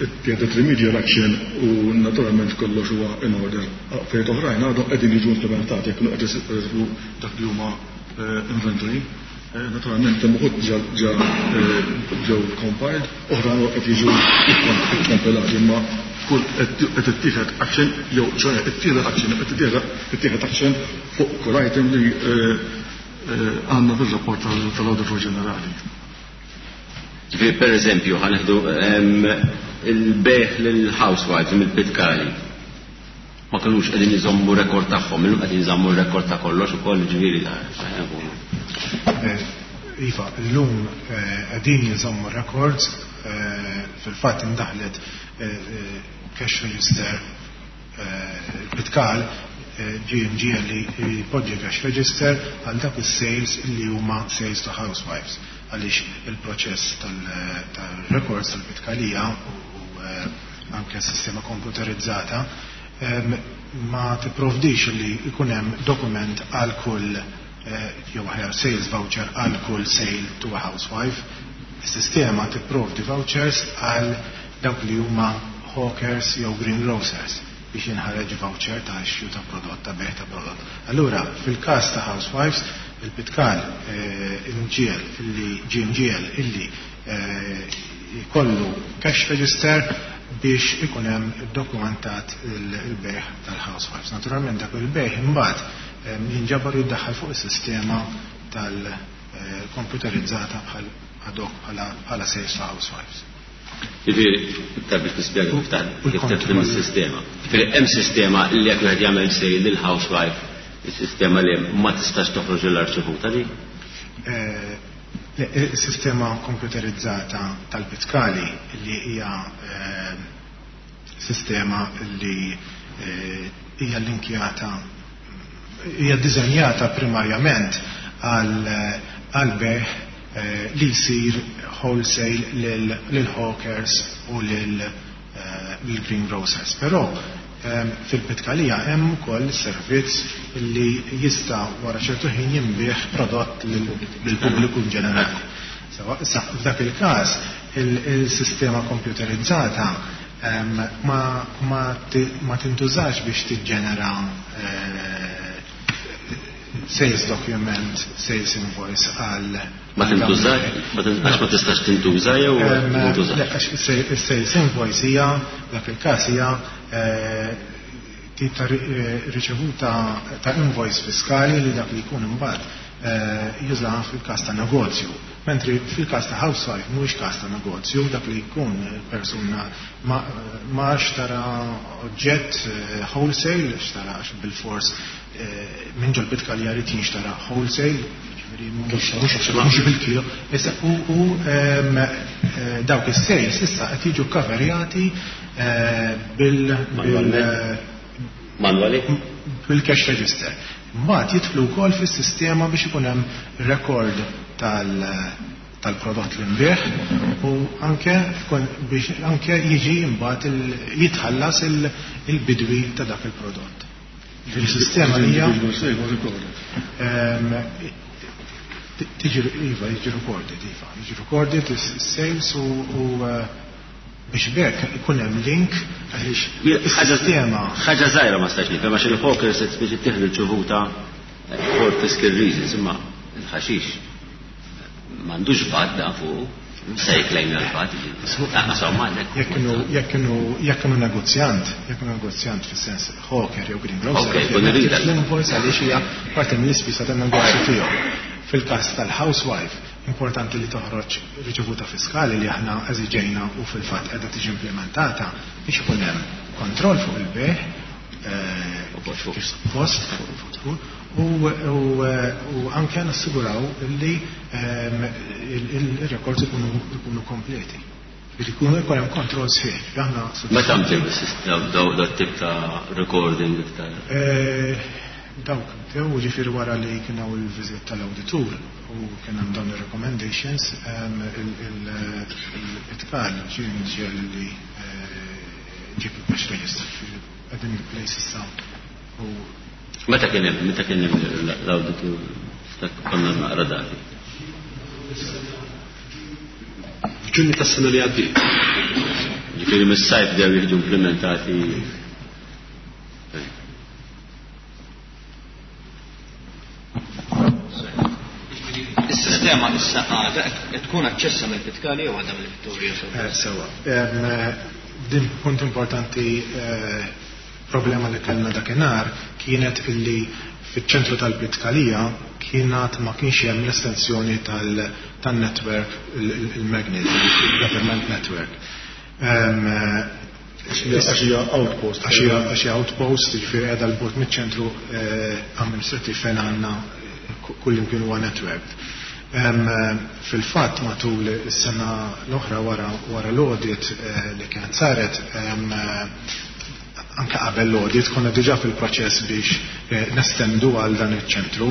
ittieħdet remedial action u naturalment kollox huwa in order. Fejn oħrajn għadhom qegħdin jiġu implementati jekk qed dak li huma inventory. Naturalment hemm uħud ġa ġew compiled, oħra qed jiġu kkompilati, imma kull qed ittieħed action jew ċoe ittieħed action qed ittieħed action fuq kull item li għandna fir-rapport tal-Awditur Ġenerali. Ġifieri pereżempju ħa nieħdu il-bejgħ lill-housewives mill-Pitkali. Ma kinux qegħdin iżommu rekord tagħhom, illum qegħdin iżommu r-rekord ta' kollox ukoll, ġifieri Iva, illum qegħdin jinżammu records, fil-fatt indaħlet cash register, il-Pitkal ġie mġiegħel li jpoġġi cash register għal dak is-sales li huma sales to housewives, għaliex il-proċess tal-records tal-Pitkalija u anke s-sistema komputerizzata ma tipprovdix li jkun hemm dokument għal kull jew aħjar sales voucher għal kull sale to a housewife. Is-sistema tipprovdi vouchers għal dawk li huma hawkers jew greengrocers biex jinħareġ voucher ta' issue ta' prodott, ta' bejgħ ta' prodott. Allura, fil-każ ta' housewives, il-Pitkal imġiel illi ġie mġiel illi jkollu cash register biex ikun hemm dokumentat il-bejgħ tal-housewives. Naturalment dak il-bejgħ imbagħad jinġabar jiddaħħal fuq is-sistema tal-komputerizzata bħal ad hoc bħala sales to housewives. Ġifieri, iktar biex nispjega kif kif taħdem is-sistema. Ġifieri hemm sistema li jekk wieħed jagħmel sale lil housewife, is-sistema li ma tistax toħroġ l-arċivuta di? Is-sistema komputerizzata tal-Pitkali li hija sistema li hija linkjata, hija ddiżenjata primarjament għal bejgħ li jsir wholesale lil hawkers u lil greengrocers. Però fil-Pitkalija hemm ukoll servizz li jista' wara ċertu ħin jinbiegħ prodott lill-pubbliku in ġenerali. Issa f'dak il-każ il-sistema komputerizzata ma tintużax biex tiġġenera sales document, sales invoice għal Ma tintużax? Għax ma tistax tintuża jew tintuża? Le, għax is-sales invoice hija, dak il-każ hija tip ta' riċevuta ta' invoice fiskali li dak li jkun imbagħad juża fil-każ ta' negozju. Mentri fil-każ ta' housewife mhuwiex każ ta' negozju, dak li jkun persuna ma xtara oġġett wholesale, xtara bil-fors minn ġol Pitkalija jrid jinxtara wholesale, ġifieri mhux bil-kilo. Issa u dawk is-sales issa qed jiġu coverjati Manuali? bil-cash register. Mbagħad jidħlu wkoll fis-sistema biex ikun hemm record tal-prodott li nbigħ u anke biex anke jiġi mbagħad jitħallas il-bidwi ta' dak il-prodott. Il-sistema hija tiġi iva, jiġi recorded, iva, jiġi recorded is-sales u biex bekk ikun hemm link għaliex is-sistema. Ħaġa żgħira ma stax nifhem għax il-hawkers qed biex ittieħdu l-ċuvuta for fiscal reasons, imma il-ħaxix m'għandux VAT da fuq. Se jklejm l-VAT, insomma, għandek. Jekk kienu negozjant, jekk kienu negozjant fis-sens hawker jew greengrocer, Ok, kun irrid. l-invoice għaliex hija parti mill-ispisa tan-negozju tiegħu. Fil-każ tal-housewife, importanti li toħroġ riċevuta fiskali li aħna eżiġejna u fil-fatt qiegħda tiġi implementata biex ikun hemm kontroll fuq il-bejgħ, kif suppost u anke nassiguraw li il-records ikunu kompleti. Biex ikun hemm kontroll sħiħ. Aħna Meta bdew daw tip ta' recording iktar? Dawk bdew ġifieri wara li kien hawn il-viżit tal-awditur u kien hemm dawn ir-recommendations, il-Pitkal ġie mġiegħel li ġib il-cash register qegħdin il-place issa u Meta kien hemm, meta kien hemm l-awditur konna naqra dati? F'Ġunju tas-sena li għaddiet. Ġifieri mis-sajf bdew jiġu implementati. Is-sistema issa għadha qed tkun aċċessa mill-Pitkali jew għadha mill-Vittoria? Sewa. Din punt importanti, problema li kellna dakinhar kienet illi fiċ-ċentru tal-Pitkalija kienet ma kienx hemm l-estensjoni tan-network, il-magnet, il-government network. Għax hija outpost. Għax hija outpost, jiġifieri qiegħda 'l bogħod miċ-ċentru amministrattiv fejn għandna kullimkien huwa network. Fil-fatt matul is-sena l-oħra wara l-audit li kienet saret, anke qabel l-audit konna diġà fil-proċess biex nestendu għal dan iċ-ċentru.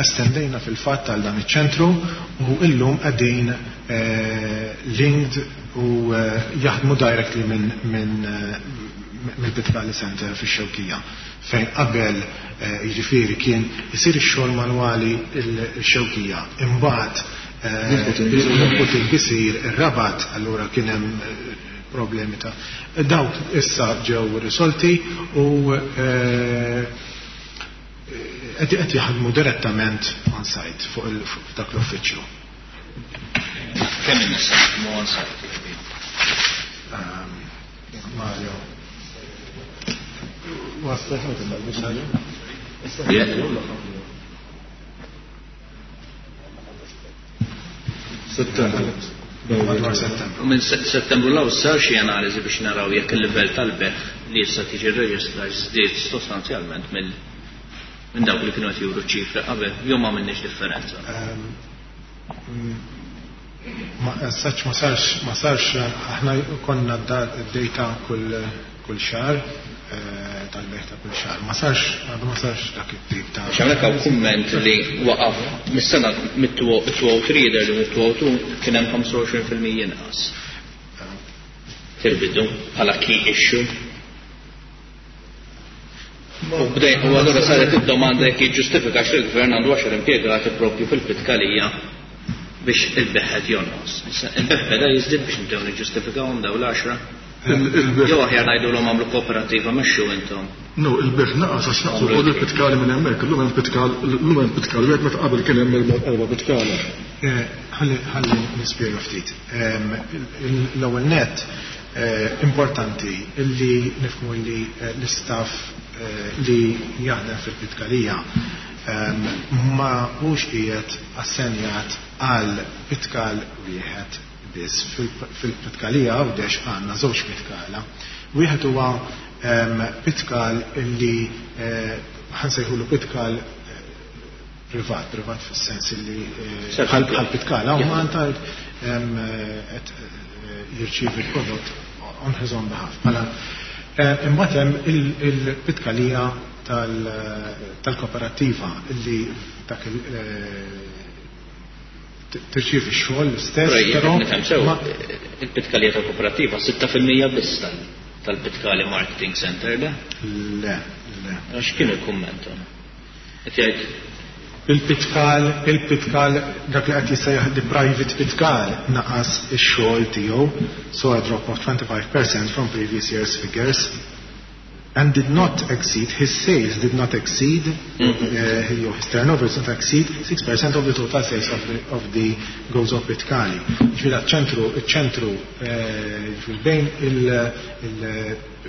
Estendejna fil-fatt għal dan iċ-ċentru u illum qegħdin linked u jaħdmu directly mill-Pitkali Center fix-Xewkija, fejn qabel jiġifieri kien isir ix-xogħol manwali l-Xewkija, imbagħad l-inputting isir ir-Rabat, allura kien hemm problemi ta' dawk issa ġew risolti u qed jaħdmu direttament on site fuq dak l-uffiċċju. Kemm in-nies jaħdmu on site? Mario. Settembru. Madwar Settembru. U minn Settembru 'l hawn sar xi analiżi biex naraw jekk il-livell tal-beħ li issa tiġi rreġistrat żdied sostanzjalment minn dawk li kienu qed juru ċifri qabel, jew ma għamilniex differenza? Ma saċ, ma sarx, ma sarx, aħna konna d-data kull xahar, tal-beħ ta' kull xahar. Ma sarx, għadu ma sarx dak it-tip ta' Għax hawnhekk hawn kumment li waqaf mis-sena mit-203 jidher li mit-202 kien hemm 25% inqas. Fil-bidu bħala key issue. U bdej, u allura saret id-domanda jekk jiġġustifikax li l-gvern għandu 10 impjegati propju fil-Pitkalija biex il-beħed jonqos. Issa, il-beħ beda jiżdied biex nibdew niġġustifikawhom dawn l-10. Jew aħjar ngħidulhom għamlu kooperativa mexxu intom. No, il-beħ naqas għax naqsu wkoll il-Pitkali minn hemmhekk, illum hemm Pitkal, illum hemm Pitkal wieħed meta qabel kien hemm erba' Pitkala. Ħalli nispjega ftit. L-ewwel nett, importanti illi nifhmu li l-istaff li jaħdem fil-Pitkalija ma hux qiegħed assenjat għal Pitkal wieħed biss. Fil-Pitkalija Għawdex għandna żewġ Pitkala. Wieħed huwa Pitkal illi ħansejħulu Pitkal privat, privat fis-sens illi bħal Pitkala u Malta qed jirċievi l-prodott on his own behalf. Mela, imbagħad hemm il-Pitkalija tal-kooperativa illi dak tirċievi x-xogħol l-istess, Però jekk però nifhem sew, ma il-Pitkalija tal-kooperativa 6% biss tal-Pitkali Marketing Center, le? Le, le. Għax kien il-kumment? Qed jgħid Il-Pitkal, il-Pitkal, dak li qed jissejjaħ the private Pitkal naqas ix-xogħol tiegħu, so a drop of 25% from previous year's figures, and did not exceed, his sales did not exceed, his turnover did not exceed 6% of the total sales of the Gozo Pitkali. Ġifieri ċentru, ċentru, ġifieri bejn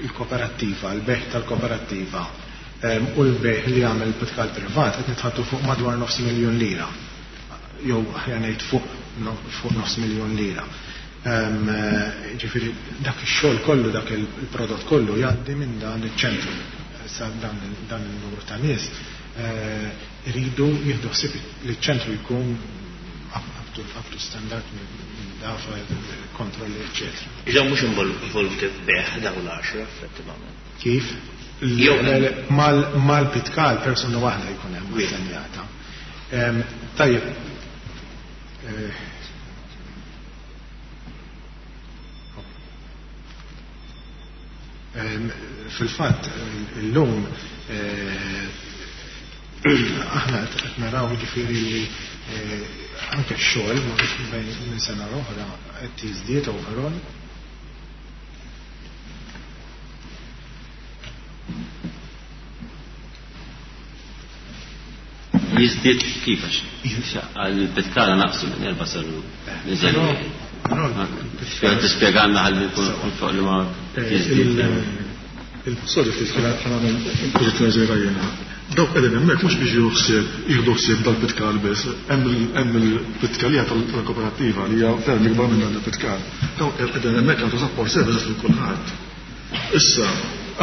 il-kooperattiva, il-beħ tal-kooperattiva, u l-beħ li għamel il-Pitkal privat, qed nitħattu fuq madwar nofs miljun lira. Jew aħjar ngħid fuq nofs miljun lira. Ġifieri dak ix-xogħol kollu, dak il-prodott kollu jgħaddi minn dan iċ-ċentru. Issa dan il-numru ta' nies iridu jieħdu ħsieb li ċ-ċentru jkun up to standard minn dafa, kontrolli, eċċetera. Iżda mhux involuti f'beħ dawn l-10 effettivament. Kif? Jew Mal-Pitkal persuna waħda jkun hemm assenjata. Tajjeb. Fil-fatt, illum aħna qed naraw ġifieri li anke x-xogħol minn sena l-oħra qed jiżdied overall. Jiżdied kif għax għall-pitkala naqsu minn erba' saru niżel. Tispjegalna ħalli nkunu fuq li ma jiżdied. Sorry ftit ħa nagħmel pożizzjoni żgħira jiena. Dawk qegħdin hemmhekk mhux biex jieħdu ħsieb jieħdu ħsieb dal-pitkal biss, hemm il-pitkalija tal-koperattiva li hija ferm ikbar minn dan il-pitkal. Dawk qegħdin hemmhekk jagħtu support services lil kulħadd. Issa,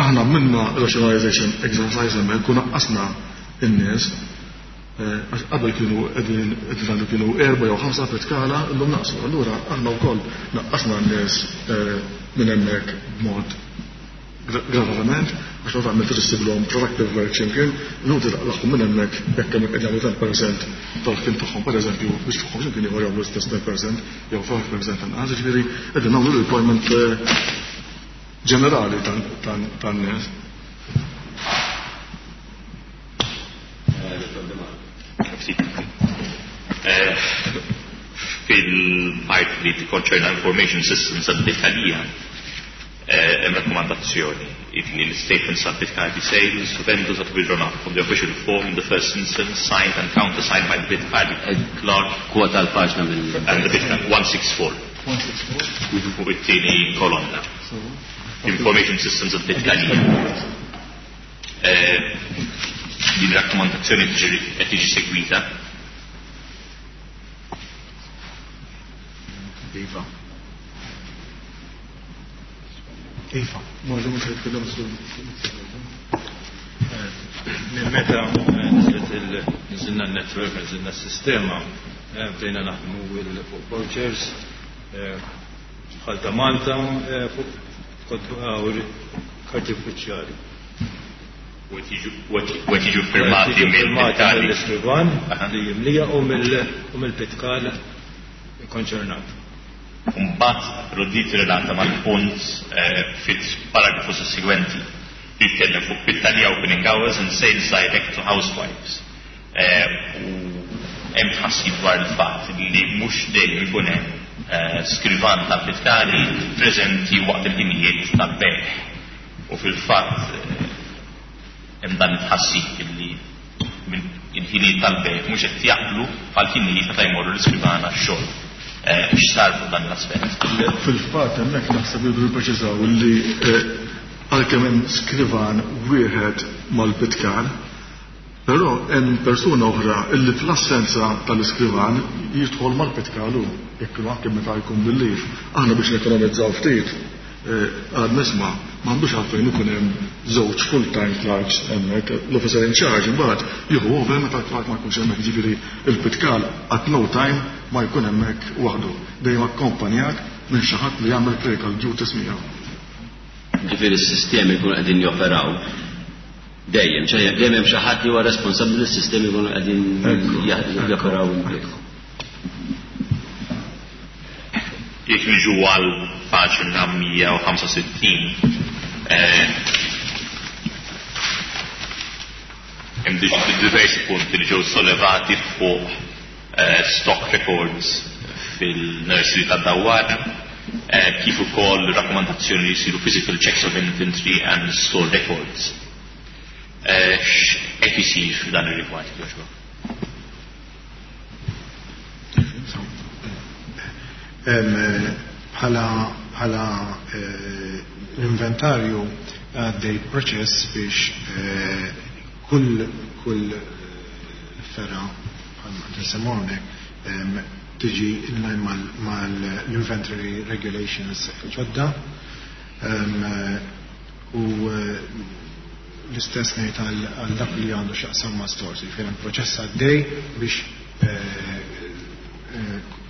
aħna għamilna rationalization exercise hemmhekk u naqqasna n-nies għax qabel kienu qegħdin qegħdin ngħidu kienu erba' jew ħamsa pitkala, illum naqsu. Allura aħna wkoll naqqasna n-nies minn hemmhekk b'mod gradualment, għax meta tagħmel trid issiblhom productive work x'imkien, inutli taqlagħhom minn hemmhekk jekk hemmhekk qed jagħmlu 10% tal-ħin tagħhom pereżempju biex tagħhom x'imkien ieħor jagħmlu l-istess 10% jew 5% anqas, jiġifieri qegħdin nagħmlu redeployment ġenerali tan-nies. Fil-part li tikkonċerna information systems għad-detalija, hemm rakkomandazzjoni li l-statements of Bitcardi sales to vendors are to be drawn up on the official form in the first instance, signed and countersigned by the Bitcardi clerk. Kwota l-paġna mill- And the Bitcardi 164. 164. Fuq it-tieni kolonna. Information systems of Bitcardi. Din rakkomandazzjoni qed tiġi segwita. Iva. Iva. Ma ġemmu se jitkellem su. Minn meta nżilt il-nżilna n-network, nżilna s-sistema, bdejna naħdmu fuq vouchers, bħal ta' Malta, fuq karti uffiċjali. U qed jiġu firmati Qed jiġu minn firmati Pitkali. mill-iskrivan li jimlija u mill-pitkal konċernat. Mbagħad rodit relata mal-punt fit-paragrafu sussegwenti li jitkellem fuq Pitkalija opening hours and sales direct to housewives. U hemm tħassib dwar il-fatt li mhux dejjem ikun hemm skrivan tal-pitkali preżenti waqt il-ħinijiet tal-bejgħ. U fil-fatt hemm dan it-tħassib li il-ħinijiet tal-bejgħ mhux qed jaqblu bħal-ħinijiet meta jmorru l-iskrivana x-xogħol. X'sar fuq dan l-aspett? Fil-fatt hemmhekk naħseb li rridu nippreċiżaw li għalkemm hemm skrivan wieħed mal-pitkal, però hemm persuna oħra illi fl-assenza tal-iskrivan jidħol mal-pitkal hu, jekk kienu anke meta jkun bil-lif. Aħna biex nekonomizzaw ftit għad nisma' m'għandux għalfejn ikun hemm żewġ full-time clerks hemmhekk, l-officer in charge imbagħad jieħu over meta l-clerk ma jkunx hemmhekk, jiġifieri il-pitkal at no time ma jkun hemmhekk waħdu, dejjem akkompanjat minn xi ħadd li jagħmel clerical duties miegħu. Ġifieri s-sistemi jkunu qegħdin joperaw dejjem, dejjem hemm xi ħadd li huwa responsabbli li s-sistemi jkunu qegħdin joperaw. Jekk niġu għal paġna 165, hemm diversi punti li ġew sollevati fuq stock records fil-nursery tad-Dawwara, kif ukoll rakkomandazzjoni li jsiru physical checks of inventory and store records. X'qed isir f'dan ir-rigward, jogħġbok? Bħala l-inventarju għaddej proċess biex kull fergħa bħalma nsemmu hawnhekk tiġi in line mal-inventory regulations ġodda. U l-istess ngħid għal dak li għandu x'jaqsam ma' stores, jiġifieri hemm proċess għaddej biex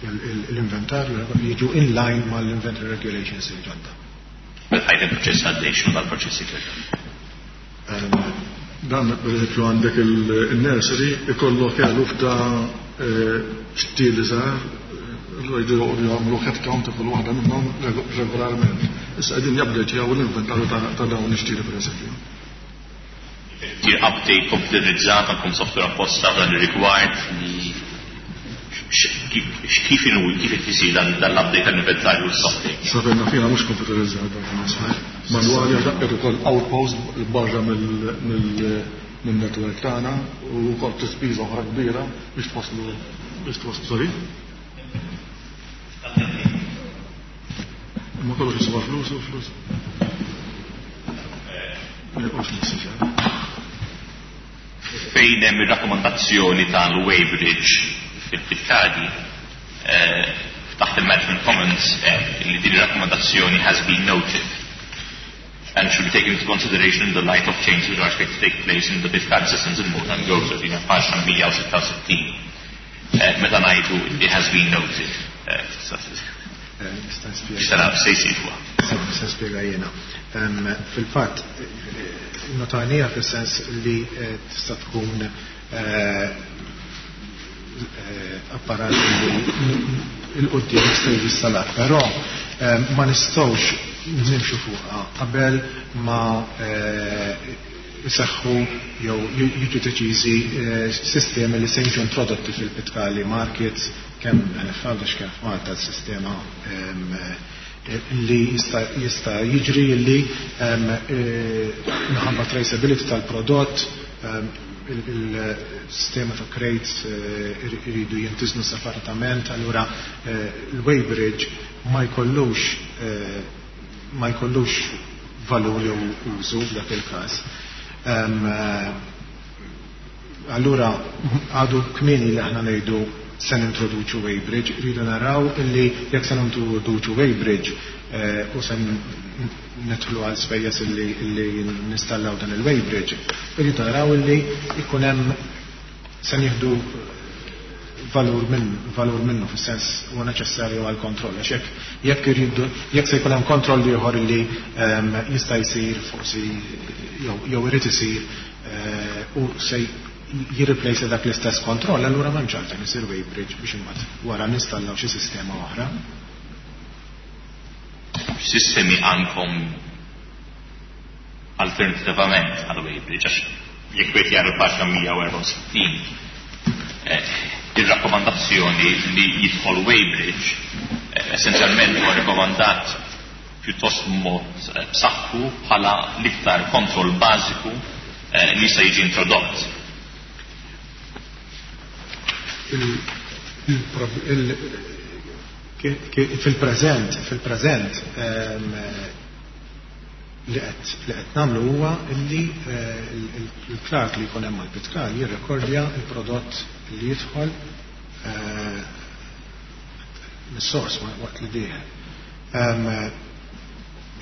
l-inventarju jiġu in line mal-inventory regulations il-ġodda. Meta ħajt il-proċess għaddej, x'inhu dal-proċess jkun? Dan, per eżempju, għandek il-nursery ikollok eluf ta' xtieli żgħar, allura jridu jagħmlu head count ta' kull waħda minnhom regolarment. Issa qegħdin jabdeġjaw l-inventarju ta' dawn ix-xtieli, per eżempju. Tir update computerizzata għandkom software apposta f'dan ir-rigward li kif inhu, kif qed isir dan l-update tal-inventarju u s-software? Sabilna fina mhux computerizzat dan il-software. Manwali għax daqqet ukoll outpost barra min-network tagħna u wkoll tispiża oħra kbira biex twasslu biex twasslu sorry. Imma kollox jiswa flus u flus. Fejn hemm ir-rakkomandazzjoni tal-weighbridge fil-Pitkadi, taħt il-Management Comments li din ir-rakkomandazzjoni has been noted and should be taken into consideration in the light of changes which are expected to take place in the Pitkadi systems in Malta and Gozo, din paġna 166. Meta ngħidu li has been noted, Nista' nispjega. X'tara se jsir fuqha? Nista' nispjega jiena. Fil-fatt, notajnija fis-sens li tista' tkun apparat li il-qudiem jista' jiġi installat, però ma nistgħux nimxu fuqha qabel ma jseħħu jew jiġu deċiżi sistemi li se jiġu introdotti fil-Pitkali markets, kemm f'Għawdex kemm f'Malta s-sistema li jista' jiġri li minħabba traceability tal-prodott, il-sistema ta' crates iridu jintiżnu separatament, allura il-weighbridge ma jkollux valur jew użu f'dak il-każ. Allura għadu kmieni li aħna ngħidu se nintroduċu weighbridge, rridu naraw illi jekk se nintroduċu weighbridge u se nidħlu għal spejjeż illi nistallaw dan il-weighbridge, rridu naraw illi jkun hemm se nieħdu valur minn, valur minnu fis-sens huwa neċessarju għal kontroll. Għax jekk irridu, jekk se jkun hemm kontroll ieħor illi jista' jsir forsi jew irid isir u se jirreplace dak l-istess kontroll, allura m'hemmx għalfejn isir weighbridge biex imbagħad wara nistallaw xi sistema oħra. Sistemi għandkom alternativament għal weighbridge, għax jekk wieħed jara l-paġna 164, ir-rakkomandazzjoni li jidħol weighbridge essenzjalment huwa rikomandat pjuttost mod b'saħħu bħala l-iktar kontroll bażiku li jista' jiġi introdott. Fil-preżent li qed nagħmlu huwa li il-clerk li jkun hemm mal-Pitkal jirrekordja il-prodott li jidħol mis-sors waqt li dieħel.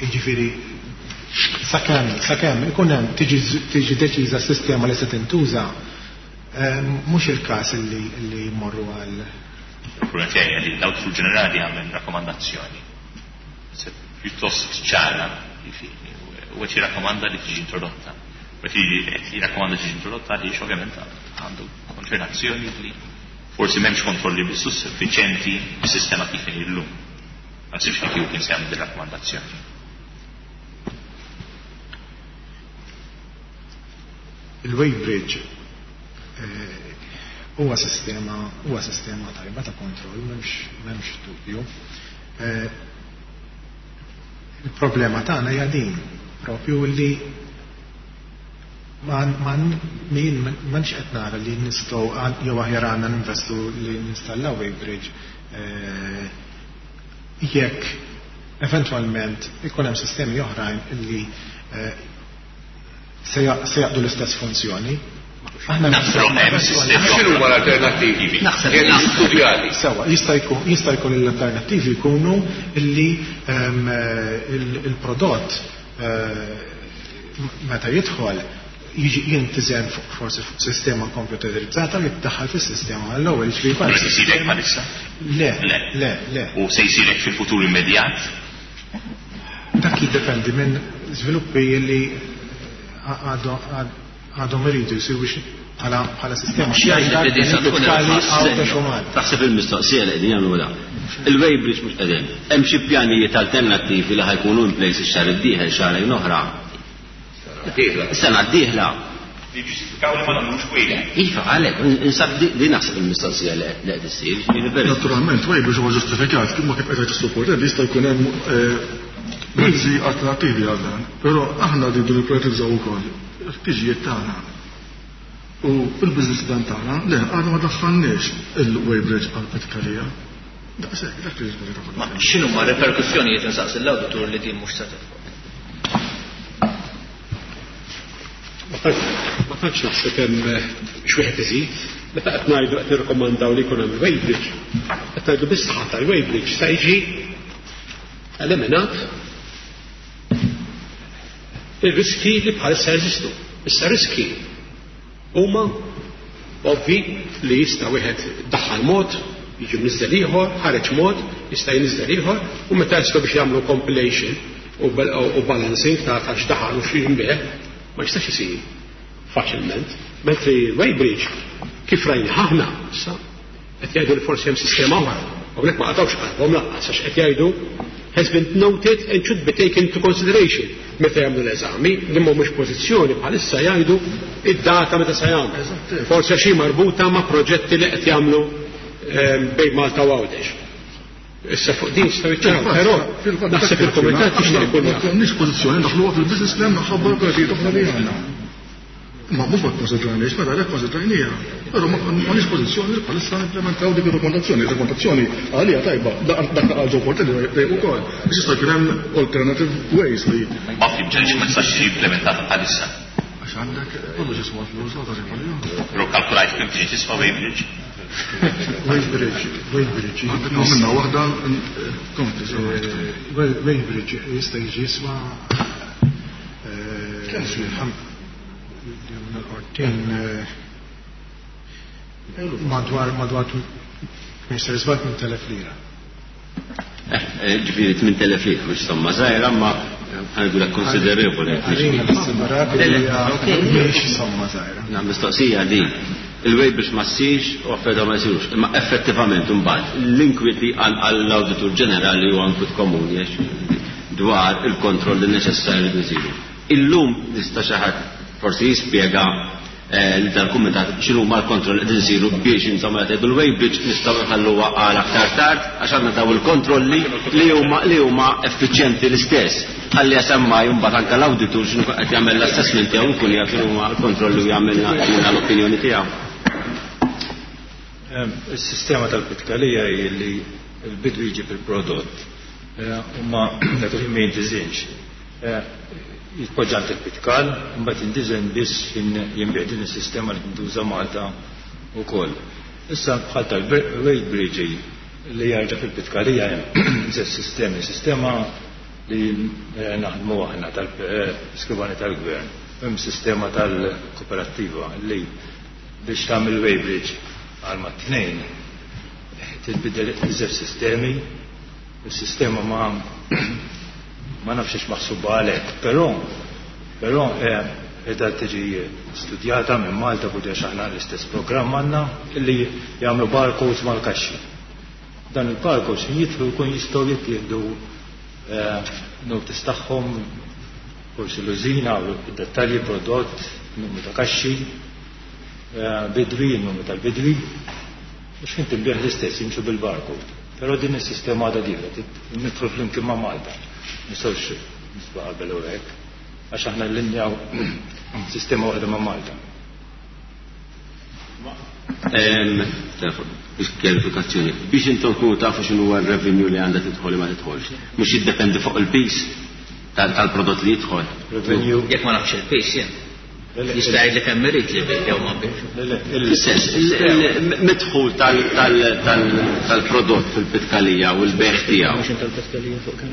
Jiġifieri sakemm ikun hemm tiġi deċiża s-sistema li se tintuża, mhux il-każ li jmorru għal. Il-problema tiegħi li l-Awditur Ġenerali għamel rakkomandazzjoni pjuttost ċara, jiġifieri, u qed jirrakkomanda li tiġi introdotta. U qed jirrakkomanda tiġi introdotta għaliex ovvjament għandu konċernazzjoni li forsi m'hemmx kontrolli biss suffiċjenti bis-sistema kif inhi llum. Ma nsibx li kieku kien se jagħmel din rakkomandazzjoni. Il-weighbridge huwa sistema tajba ta' kontroll, m'hemmx dubju. Il-problema tagħna hija din, propju li m'għandx qed nara li nistgħu jew aħjar għandna ninvestu li ninstallaw weighbridge jekk eventwalment ikun hemm sistemi oħrajn li se jaqdu l-istess funzjoni. Aħna Naħseb naħseb hemm sistemi X'inhu huma l-alternattivi? Naħseb Jekk naħseb. studjati. Sewa, jista' jkun l-alternattivi jkunu li il-prodott meta jidħol jiġi jintiżen forsi fuq sistema komputerizzata li tiddaħħal fis-sistema għall-ewwel, jiġifieri Ma bħal se jsir hekk bħalissa? Le, Le. le, le. U se jsir hekk fil-futur immedjat? Dak jiddependi minn żviluppi li għadhom iridu jsiru biex bħala sistema. Xi jgħid li din se tkun Tali irħas għaw ta' senjor. xuman. Taħseb il-mistoqsija li qegħdin jagħmlu da. Il-weighbridge mhux qegħdin. Hemm xi pjanijiet alternattivi li ħajkunu in place ix-xahar id-dieħel, xahrejn oħra. Dieħla. Sena d-dieħla. Li ġustifikaw li ma nagħmlux weighbridge. Iva, għalhekk, insab di naħseb il-mistoqsija li qed issir, jiġifieri veru. Naturalment, weighbridge huwa ġustifikat, kif ma kif qed jgħid is jista' jkun hemm mezzi alternattivi għal dan, però aħna rridu nipprioritizzaw ukoll il-ħtiġijiet tagħna. U fil-business plan tagħna, le, għadna ma daħħalniex il-weighbridge għall-Pitkalija. Daqshekk, dak li jiġri. Ma x'inhuma r-reperkussjonijiet insaqsi l-awditur li din mhux se tidħol? Ma tantx naħseb hemm x'wieħed iżid. Meta qed ngħidu qed nirrikomandaw li jkun hemm il-weighbridge, qed ngħidu bis-saħħa tal-weighbridge se jiġi eliminat ir-riski li bħalissa jeżistu. Issa riski huma ovvi li jista' wieħed daħħal mod, jiġi mniżżel ieħor, ħareġ mod, jista' jinżel ieħor, u meta jaslu biex jagħmlu compilation u balancing ta' ta' x'daħal u x'inbigħ, ma jistax isir faċilment. Mentri weighbridge kif rajna aħna, issa qed jgħidu li forsi hemm sistema oħra. Hawnhekk ma qatgħux qalbhom lanqas għax qed jgħidu has been noted and should be taken into consideration meta jagħmlu l-eżami li mhumiex pożizzjoni bħalissa jgħidu id-data meta se jagħmlu. Forsi xi marbuta ma' proġetti li qed jagħmlu bejn Malta u Għawdex. Issa fuq din jistgħu jiċċaraw, però naħseb il-kumitat jixtieq ikun jaf. Ma konniex pożizzjoni ndaħluha fil-business plan minħabba l-operazzjonijiet oħra li għandna. Ma mhux ma kkonsidrajniex, mela għalhekk konsidrajnieha. Però ma konniex pożizzjoni li bħalissa nimplementaw dik ir-rakkomandazzjoni. Ir-rakkomandazzjoni għalija tajba, dak li qal Joe Portelli tajjeb ukoll. Biex jista' jkun hemm alternative ways li. Ma fhimtx għaliex ma tistax tiġi implementata bħalissa. Għax għandek kollox jiswa flus, la tagħti għalihom. Però kkalkulajt kemm tiġi tiswa weighbridge? Weighbridge, weighbridge. Għandek minna waħda kompli. Weighbridge jista' jiġi jiswa. Kemm Madwar madwar Mr. Żball 8,000 lira. Ġifieri 8,000 lira mhux somma żgħira ma ħanqulek konsiderevoli. Mhix somma żgħira. Na mistoqsija din. Il-wej biex ma ssirx u affarijiet ma jsirux. Imma effettivament imbagħad l-inkwiet li għall-Awditur Ġenerali huwa inkwiet komuni dwar il-kontrolli neċessarji li jsiru. Illum jista' xi ħadd forsi jispjega lil dal-kumitat x'inhuma l-kontrolli li qegħdin isiru biex insomma qed tgħidu l-weighbridge nistgħu nħalluha għal aktar tard għax għandna daw il-kontrolli li huma li huma effiċjenti l-istess. Ħalli semmai mbagħad anke l-awditur x'inhu qed jagħmel l-assessment tiegħu jkun jaf x'inhuma l-kontrolli u jagħmilna l-opinjoni tiegħu. Is-sistema tal-pitkalija hi li l-bidwi jġib il-prodott u ma dak il-ħin ma jintiżinx. Jitpoġġa għand il-pitkal, imbagħad jintiżen biss fin jinbigħ din is-sistema li tintuża Malta wkoll. Issa bħal tal-weight bridge li jarġa' fil-pitkalija hemm żewġ sistemi, sistema li naħdmu aħna tal-skrivani tal-gvern, hemm sistema tal-kooperattiva li biex tagħmel weight bridge għal mat-tnejn titbiddel iż-żewġ sistemi. Is-sistema ma ma nafx hix maħsuba għalhekk, però però qiegħda tiġi studjata minn Malta u għax aħna l-istess programm għandna li jagħmlu barcodes mal-kaxxi. Dan il-barcodes jidħlu jkun jistgħu jittieħdu notice tagħhom, forsi l-użina, dettalji prodott, numru ta' kaxxi, bidwi, numru tal-bidwi. Mhux kien tinbiegħ l-istess jimxu bil-barcode. Però din is-sistema għadha dieħla, nidħlu flimkien ma' Malta. Nistgħux nisba' qabel u hekk, għax aħna llinjaw sistema waħda ma' Malta. Biex kjarifikazzjoni, biex intom tkunu tafu x'inhu huwa r-revenue li għandha tidħol li ma tidħolx. Mhux jiddependi fuq il-piż tal-prodott li jidħol. Revenue. Jekk ma nafx il-piż jien. Jista' jgħidli kemm irid li bih jew ma bihx. Fis-sens, il-midħul tal-prodott fil-pitkalija u l-bejgħ tiegħu. Mhux tal-pitkalija fuq kemm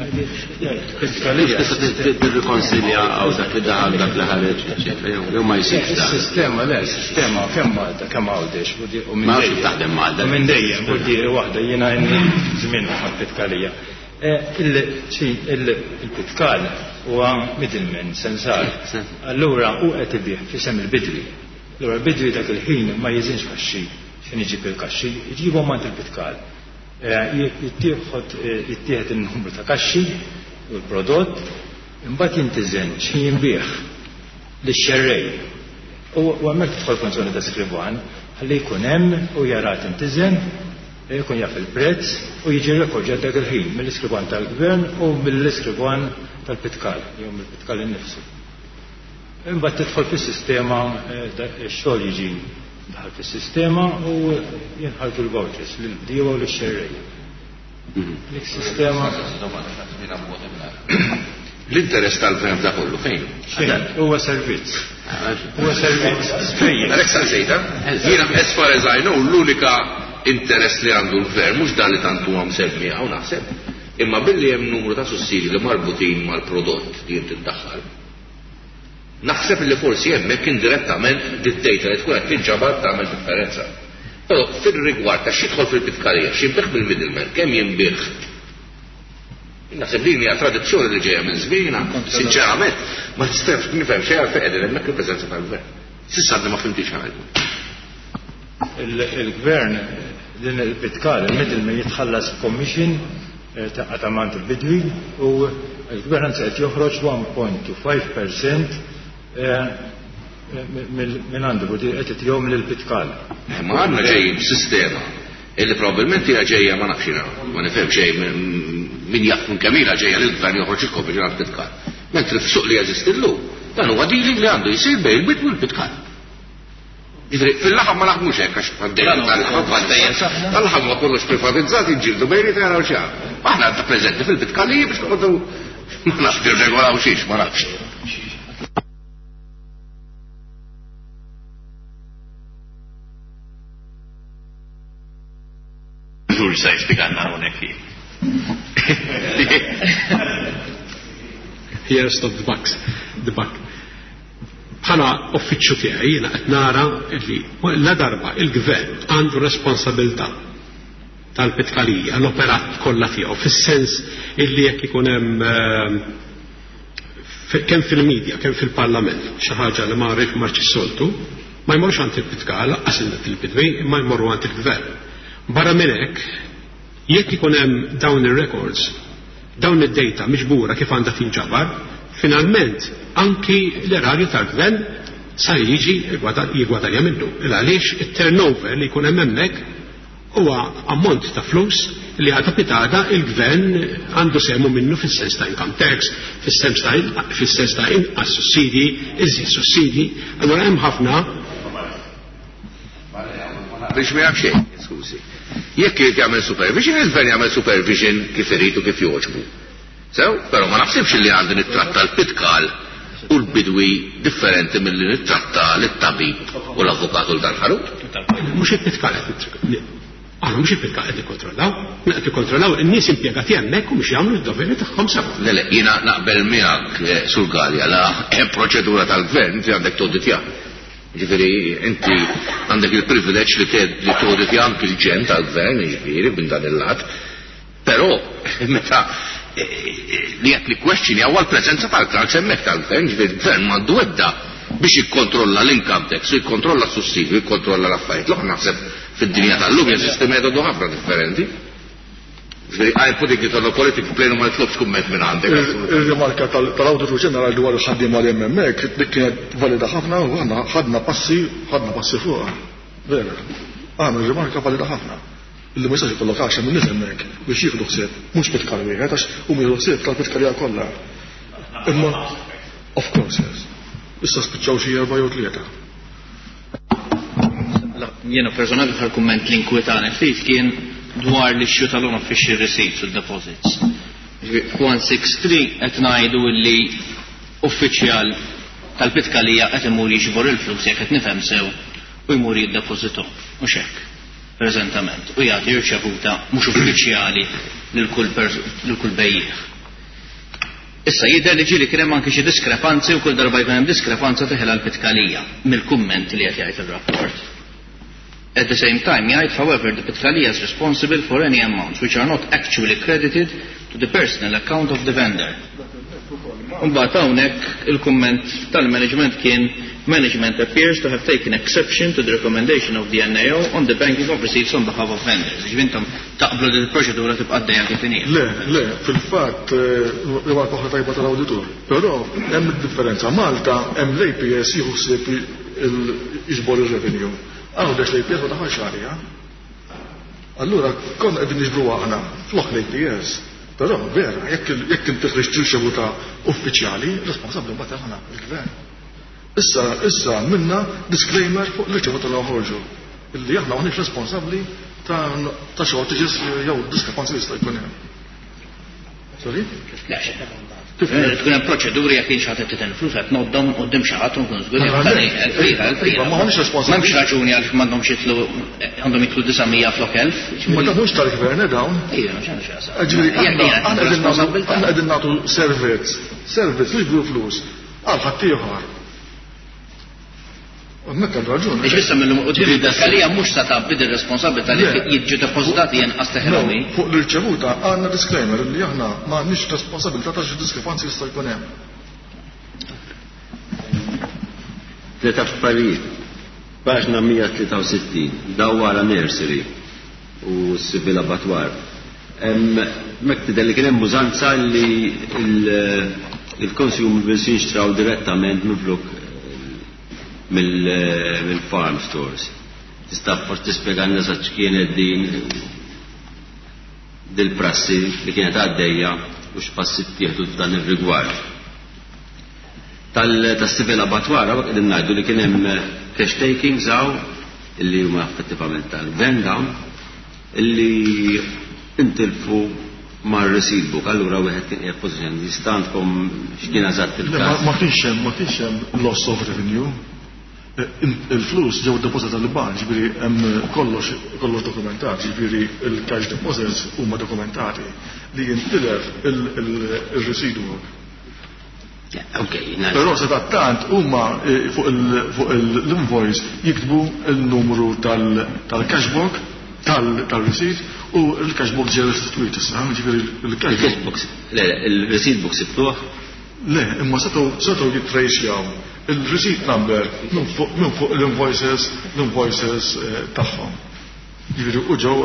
Pitkalija. Tista' tirrikonsilja hawn dak li daħal dak li ħareġ, eċċetera, jew ma jsirx dan. Is-sistema le, is-sistema kemm Malta kemm Għawdex u minn Ma nafx kif taħdem Malta. U minn dejjem, u waħda jiena żmien mal-pitkalija. Il-pitkal huwa middleman, sensar. Allura hu qed ibigħ f'isem il-bidwi. Allura l-bidwi dak il-ħin ma jiżinx kaxxi x'ħin iġib il-kaxxi, iġibhom għand il-pitkal. Jittieħed in-numru ta' kaxxi u l-prodott, imbagħad jintiżen x'ħin jinbiegħ lix-xerrej. U hemmhekk tidħol funzjoni ta' skrivan ħalli jkun hemm u jara tintiżen Ikun jaf il-prezz u jiġi rrekordjat dak il-ħin mill-iskrivan tal-Gvern u mill-iskrivan tal-Pitkal jew mill-Pitkal innifsu. Imbagħad tidħol fis-sistema, ix-xogħol jiġi daħal fis-sistema u jinħarġu l-vouchers lill-bdiewa u lix-xerrejja. Dik sistema. L-interess tal-gvern f'da kollu fejn? Xejn, huwa servizz. Huwa servizz. Fejn? Għalhekk saqsejta. Jiena as far as I know l-unika interess li għandu l-gvern mhux dan li tant huwa msemmi hawn naħseb, imma billi hemm numru ta' sussidji li marbutin mal-prodott li inti ddaħħal. Naħseb li forsi hemmhekk indirettament did-data li tkun qed tinġabar tagħmel differenza. Però fir-rigward ta' x'jidħol fil-pitkalija, x'jinbiegħ mill-middleman, kemm jinbiegħ Naħseb din hija tradizzjoni li ġejja minn żmienna, sinċerament, ma nistax nifhem xejn għalfejn qegħdin hemmhekk il-preżenza tal-gvern. S'issa għadni ma fhimtix ħaġa. Il-gvern din il-pitkal, il-middleman jitħallas commission ta' għand il-bidwi u l-gvern anzi qed joħroġ 1.25% minn għandu qed itihom lill-pitkal. Ma għandna ġejjin b'sistema illi probabbilment hija ġejja ma nafx jiena, ma nifhem xejn min jaf minn kemm ilha ġejja li l-gvern joħroġ il-commission għall-pitkal. Mentri f'suq li jeżisti llum, dan huwa dealing li għandu jsir bejn il-bidwi u l-pitkal. Jiġifieri fil-laħam ma naħdmux hekk għax għaddejja tal-laħam tal-laħam huwa kollox privatizzat jiġġieldu bejnietna jaraw xi Aħna għadna preżenti fil-pitkaliji biex noqogħdu ma nafx nirregolaw xiex, ma nafx. Żgur se jispjegalna hawnhekk. Here stop the bucks, the buck. Bħala uffiċċju tiegħi jiena qed nara li la darba il-gvern għandu responsabilità tal-pitkalija, l-operat kollha tiegħu, fis-sens illi jekk ikun hemm kemm fil-medja, kemm fil-parlament, xi ħaġa li ma rridx marċ soltu, ma jmorrux għand il-pitkal, lanqas il-bidwi, imma jmorru għand il-gvern. Barra minn hekk, jekk ikun hemm dawn ir-records, dawn id-data miġbura kif għandha tinġabar, finalment anki l-erarju tal-gvern sa jiġi jigwadanja minnu. Il għaliex it-turnover li jkun hemm hemmhekk huwa ammont ta' flus li għada pitada il-gvern għandu sehmu minnu fis-sens ta' income tax, fis-sens ta' fis-sens ta' inqas sussidji, iżjed sussidji. Allura hemm ħafna Biex ma jaf xejn, skużi. Jekk irid jagħmel supervision, il-gvern jagħmel supervision kif irid u kif jogħġbu. Sew, però ma naħsibx li għandi nittratta l-pitkal u l-bidwi differenti milli nittratta lit-tabib u l-avukat u l-dal-ħarut. Mhux il-pitkal qed Aħna mhux il-pitkal qed nikkontrollaw, qed nikkontrollaw in-nies impjegati hemmhekk u mhux jagħmlu d-doveri tagħhom sew. Le, le, jiena naqbel miegħek eh, Sur Galea la hemm proċedura tal-gvern inti għandek toditja. Ġifieri inti għandek il-privileġġ li toditja anki l-ġen tal-gvern, jiġifieri minn dan il-lat. Però meta li qed nikkwestjonjaw huwa l-preżenza tal-clerks hemmhekk tal-gvern, ġifieri l-gvern m'għandu ebda biex jikkontrolla l-income tax, u jikkontrolla s-sussidju, jikkontrolla l-affarijiet l-oħra naħseb fid-dinja tal-lum jeżisti metodu ħafna differenti. Ġifieri I'm putting it on a political plane u ma nitlobx kumment minn għandek. Ir-rimarka tal-Awditur Ġenerali dwar il-ħaddiema li hemm hemmhekk dik kienet valida ħafna u aħna ħadna passi ħadna passi fuqha. Vera. Għamel rimarka valida ħafna. Illi ma jistax ikollok għaxar minn nies hemmhekk biex jieħdu ħsieb mhux pitkal wieħed għax huma jieħdu ħsieb tal-pitkalija kollha. Imma of course yes. Issa spiċċaw xi erba' jew tlieta. Jiena personali l-aħħar kumment li nkwetani ftit kien dwar l-issue tal-unofficial receipts u deposits. F'163 qed ngħidu li uffiċjal tal-pitkalija qed imur jiġbor il-flus jekk qed nifhem sew u jmur jiddepożithom. Mhux hekk, preżentament, u jagħti rċevuta mhux uffiċjali lil kull bejjiegħ. Issa jidher li ġieli kien hemm anki xi diskrepanzi u kull darba jkun hemm diskrepanza teħilha l-pitkalija mill-kumment li qed jgħid ir-rapport. At the same time jgħid however the pitkalija is responsible for any amounts which are not actually credited to the personal account of the vendor. Imbagħad hawnhekk il-kumment tal-management kien management appears to have taken exception to the recommendation of the NAO on the banking of receipts on behalf of vendors. Jiġifieri intom taqblu li l-proċedura tibqa' għaddejja kif inhi. Le, le, fil-fatt rimarka oħra tajba tal-awditur. Però hemm differenza. Malta hemm l-APS jieħu ħsieb jiġbor ir-revenue. Għawdex l-APS ma daħalx għaliha. Allura konna qegħdin niġbru aħna flok l-APS. Però vera, jekk inti ħriġt riċevuta uffiċjali, responsabbli mbagħad aħna il-gvern. Issa issa għamilna disclaimer fuq l-irċevuta li noħorġu illi aħna maħniex responsabbli ta' ta' shortages jew diskrepanzi li jista' jkun hemm. Sorry? Kif tkun hemm proċeduri jekk xi ħadd qed flus qed ngħoddhom quddiem xi ħadd u nkun żgur Iva, ma ħanix responsabbli. M'hemmx raġuni għaliex m'għandhomx jitlu għandhom jitlu 900 flok 1000. Ma dan mhux tal-gvern eh, dawn. Ejja, mhux għandu x'jaqsam. Ġifieri aħna qegħdin nagħtu servizz, servizz mhux flus għal ħaddieħor. Hemmhekk għandu raġun. Biex issa mill-lum quddiem id-daskalija mhux sa tgħabbi din responsabilità li jiġu depożitati inqas teħilhom hi. Fuq l-irċevuta għandna disclaimer li aħna m'għandniex responsabilità ta' xi diskrepanzi jista' jkun hemm. Tliet affarijiet. Paġna 163, dawwara nursery u civil abattoir. Hemmhekk tidher li kien hemm użanza li l-consumables jinxtraw direttament minflok mill-farm stores. Tista' forsi tispjegalna eżatt x'kienet din dil-prassi li kienet għaddejja u x'passi ttieħdu f'dan ir-rigward. Tas-civil abattoir hawnhekk qegħdin ngħidu li kien hemm cash takings hawn illi huma effettivament tal-gvern dawn illi intilfu mar-receipt book. Allura wieħed kien qiegħed pożizzjoni li jista' għandkom x'kien eżatt il-każ. Ma kienx hemm ma kienx hemm loss of revenue. Il-flus ġew depożitati l-bank, ġifieri hemm kollox kollox dokumentat, ġifieri il-cash deposits huma dokumentati li jintilef il-receipt book. Okay, Però sadattant huma fuq l-invoice jiktbu il-numru tal-cash book, tal-receipt u l-cash book ġew restituit issa, ġifieri il-cash book. Le, il-receipt book sibtuh? Le, imma setgħu jittracjaw il-receipt number minn fuq l-invoices, l-invoices tagħhom. Ġifieri u ġew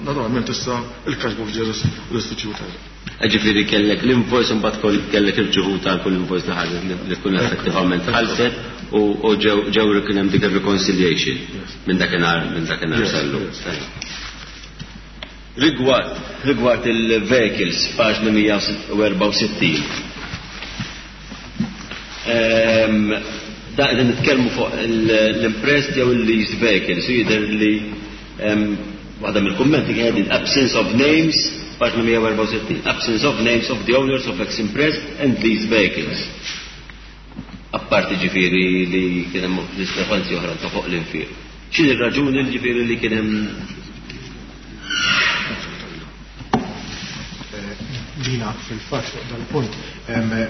naturalment issa il-cash book ġew restituted. Ġifieri kellek l-invoice u mbagħad kellek irċevuta għal kull invoice li ħarġet li tkun effettivament ħallset u ġew kien hemm dik ir-reconciliation minn dakinhar minn dakinhar sal-lum. Rigward rigward il-vehicles paġna 164. Da qegħdin nitkellmu fuq l-impressed jew il-leased vehicles u jidher li waħda mill-kummenti kienet din absence of names, paġna 164, absence of names of the owners of ex-impressed and leased vehicles. Apparti ġifieri li kien hemm diskrepanzi oħra ta' fuq l-infiq. X'inhi r-raġuni ġifieri li kien hemm Dina fil-fatt fuq dal-punt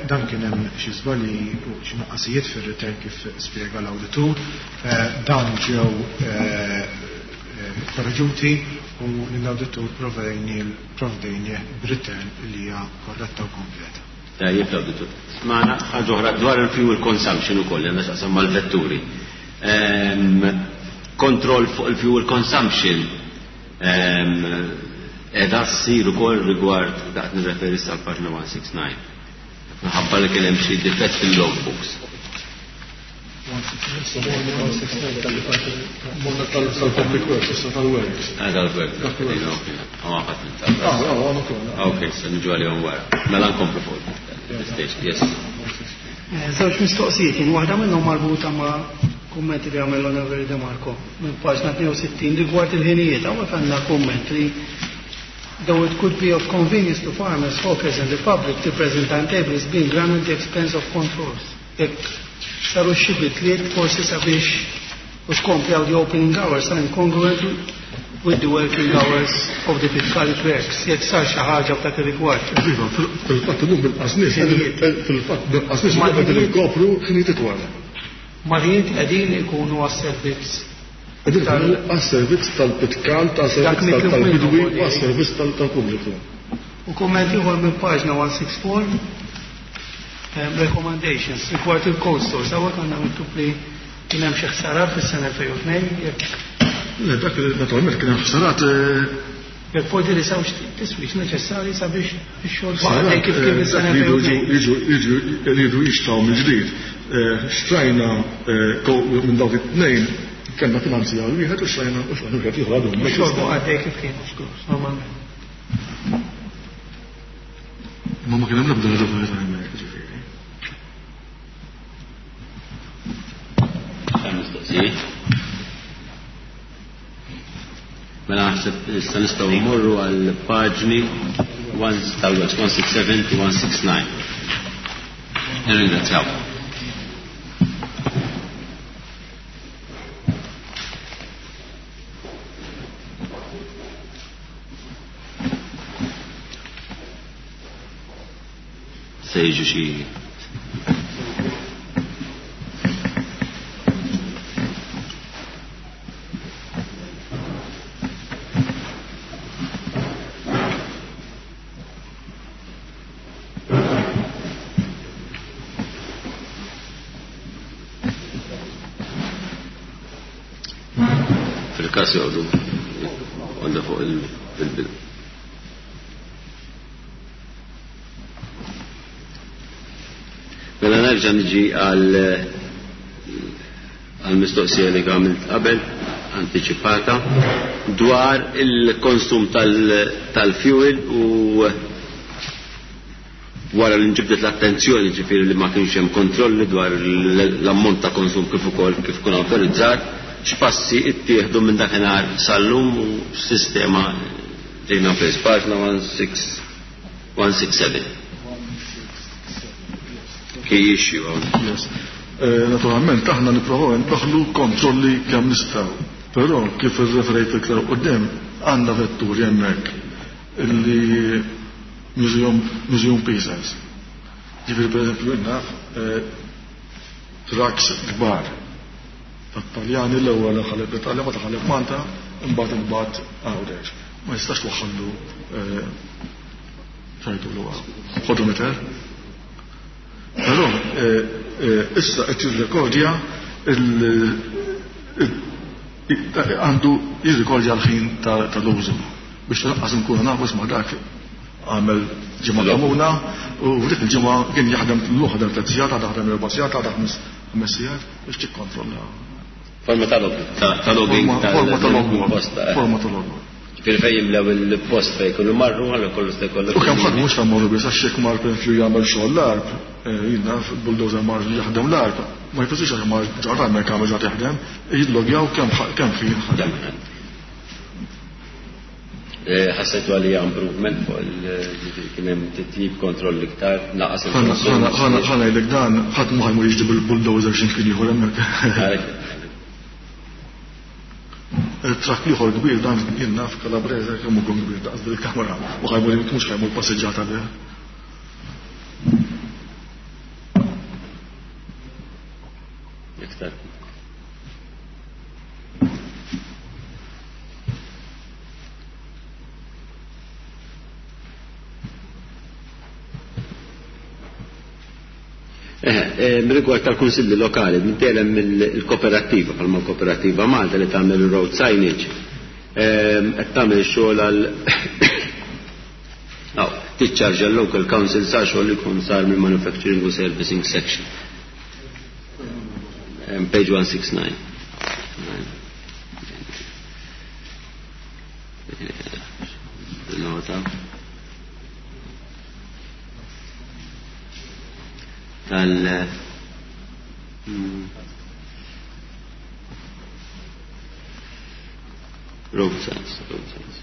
dan kien hemm xi żbalji u xi nuqqasijiet fir-return kif spjega l-awditur. Dawn ġew korreġuti u lill-awditur provdejnieh b'return li hija korretta u kompleta. Tajjeb l-awditur. Smajna ħaġa oħra dwar il-fuel consumption ukoll li għandha x'taqsam mal-vetturi. Kontroll fuq il-fuel consumption qiegħda ssir ukoll rigward daqt nirreferi issa għall-paġna 169. Minħabba li kien hemm xi difett fil-logbooks. Morna tal-public works, issa tal-works. Ah, tal-works. Ah, ah, ok, se niġu għalihom wara. Mela nkomplu fuq il-station, yes. Żewġ mistoqsijiet, jien waħda minnhom marbuta ma' kummenti li għamel l-Onorevoli De Marco minn paġna 62 rigward il-ħinijiet. Hawnhekk għandna kumment li though it could be of convenience to farmers, hawkers and the public, the present timetable is being run at the expense of controls. Jekk saru xi bidliet forsi sabiex u tkomplaw the opening hours are incongruent with the working hours of the Pitcali clerks. Jekk sar xi ħaġa f'dak ir-rigward. Iva, fil-fatt illum bil-qasnis, fil-fatt bil-qasnis qegħdin inkopru ħinijiet itwal. Mal-ħinijiet qegħdin ikunu għas-servizz. Qegħdin ikunu għas-servizz tal-Pitkal, tas-servizz tal-bidwi u għas-servizz tal-pubbliku. U kumment ieħor minn paġna 164, recommendations rigward il-cold stores. Hawnhekk għandna miktub li kien hemm xi ħsarat fis-sena 2002 jekk. Le, dak naturalment kien hemm ħsarat. Jekk forsi li sawx tiswix neċessarji sabiex ix-xogħol baqa' kif kien fis-sena 2002. Jiġu jridu jixtraw mill-ġdid. Xtrajna minn dawk it-tnejn kellna finanzjar wieħed u xtrajna u xtrajna wieħed ieħor għadhom. Ix-xogħol baqa' għaddej kif kien, normalment. Ma ma kien hemm l-ebda raġuni ta' hemmhekk, ġifieri. Mistoqsijiet? Mela naħseb issa nistgħu mmorru għal paġni 167 to 169. Nirringrazzjaw. Se jiġu xi Fil-każ joqogħdu għandha fuq il-bidu. Mela nerġa' niġi għal għal-mistoqsija li għamilt qabel antiċipata dwar il-konsum tal-fuel u wara li nġibdet l-attenzjoni ġifieri li ma kienx hemm kontrolli dwar l-ammont ta' konsum kif ukoll kif kun awtorizzat, x'passi ttieħdu minn dakinhar sal-lum u x'sistema ġejna fis. Paġna 167. Key issue. Yes. Naturalment aħna nipprovaw ndaħħlu kontrolli kemm nistgħu. Però kif irreferejt iktar quddiem għandna vetturi hemmhekk illi museum, museum pieces. Ġifieri pereżempju naf trucks kbar tat-Taljani l-ewwel ħaleb l-Italja ma taħaleb Malta, imbagħad imbagħad Għawdex. Ma jistax twaħħallu xajtulu odometer. Però issa qed jirrekordja għandu jirrekordja l-ħin tal-użu biex lanqas nkunu nafu isma' dak għamel ġimgħa kamuna u f'dik il-ġimgħa kien jaħdem l ħadem tliet sigħat, għadha ħadem erba' sigħat, għadha ħames sigħat biex tikkontrolla. Forma ta' logging. Forma ta' logbook. Forma ta' logbook. Ġifieri fejn jimlew il-post fejn jkunu marru, għallu kollu se jkollu. U kemm ħadd mhux ta' morru biss għax jekk mar pereżempju jagħmel xogħol l-arb, jien naf bulldozer mar jaħdem l-arb, ma jfissirx għax mar ġarra hemmhekk għamel ġat jaħdem, jillogjaw kemm ħin ħadem. Ħassejtu għalija improvement fuq il-ġifieri kien hemm titjib kontroll iktar, naqas il-konsum. Ħa ngħidlek dan, ħadd ma ħajmur jiġri bil-bulldozer x'imkien ieħor hemmhekk. Il-trakk ieħor kbir dan jien naf Calabrese kemm hu kbir daqs bil-kamera u ħajmur mhux ħajmur passiġġata bih. Iktar. Rigward tal-kunsilli lokali, dejjem il-kooperativa, bħalma l-kooperativa Malta li tagħmel il-road signage, qed tagħmel xogħol għal tiċċarġa l-local council sa xogħol li jkun sar mill-manufacturing u servicing section. Page 169. Nota. Tal road signs, road signs.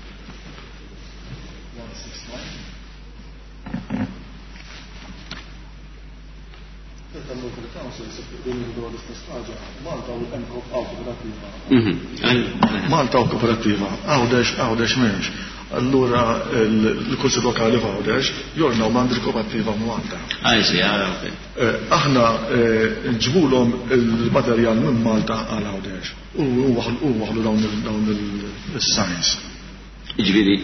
Malta u kooperativa, Għawdex, Għawdex m'hemmx. Allura l-Kunsill Lokali f'Għawdex jornaw m'għand il-kooperativa Malta. Ah, sì, ah, ok. Aħna nġibulhom il-materjal minn Malta għal Għawdex u waħlu dawn il-signs. Jiġifieri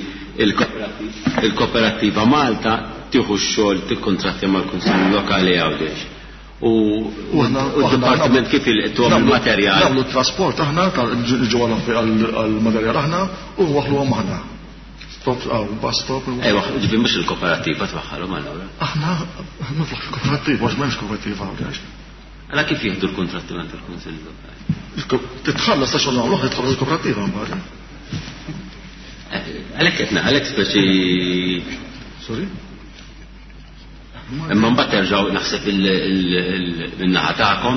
il-kooperativa Malta tieħu x-xogħol tikkontrattja mal-Kunsill Lokali Għawdex. U d-dipartiment kif il-tuħ il-materjal? Nagħmlu trasport aħna ġew għal-materjal aħna u waħluhom aħna. Stop, għaw, bus stop. Ejwa, ġifieri mhux il-kooperativa twaħħalhom allura. Aħna niflaħ il-kooperativa, għax m'hemmx kooperativa Għawdex. Alla kif jieħdu l-kontratti minn tal-Kunsill Lokali? Titħallas ta' xogħol nagħmlu, titħallas il-kooperativa mbagħad. Għalhekk qed għalhekk speċi. Sorry? Imma mbagħad terġgħu naħseb min-naħa tagħkom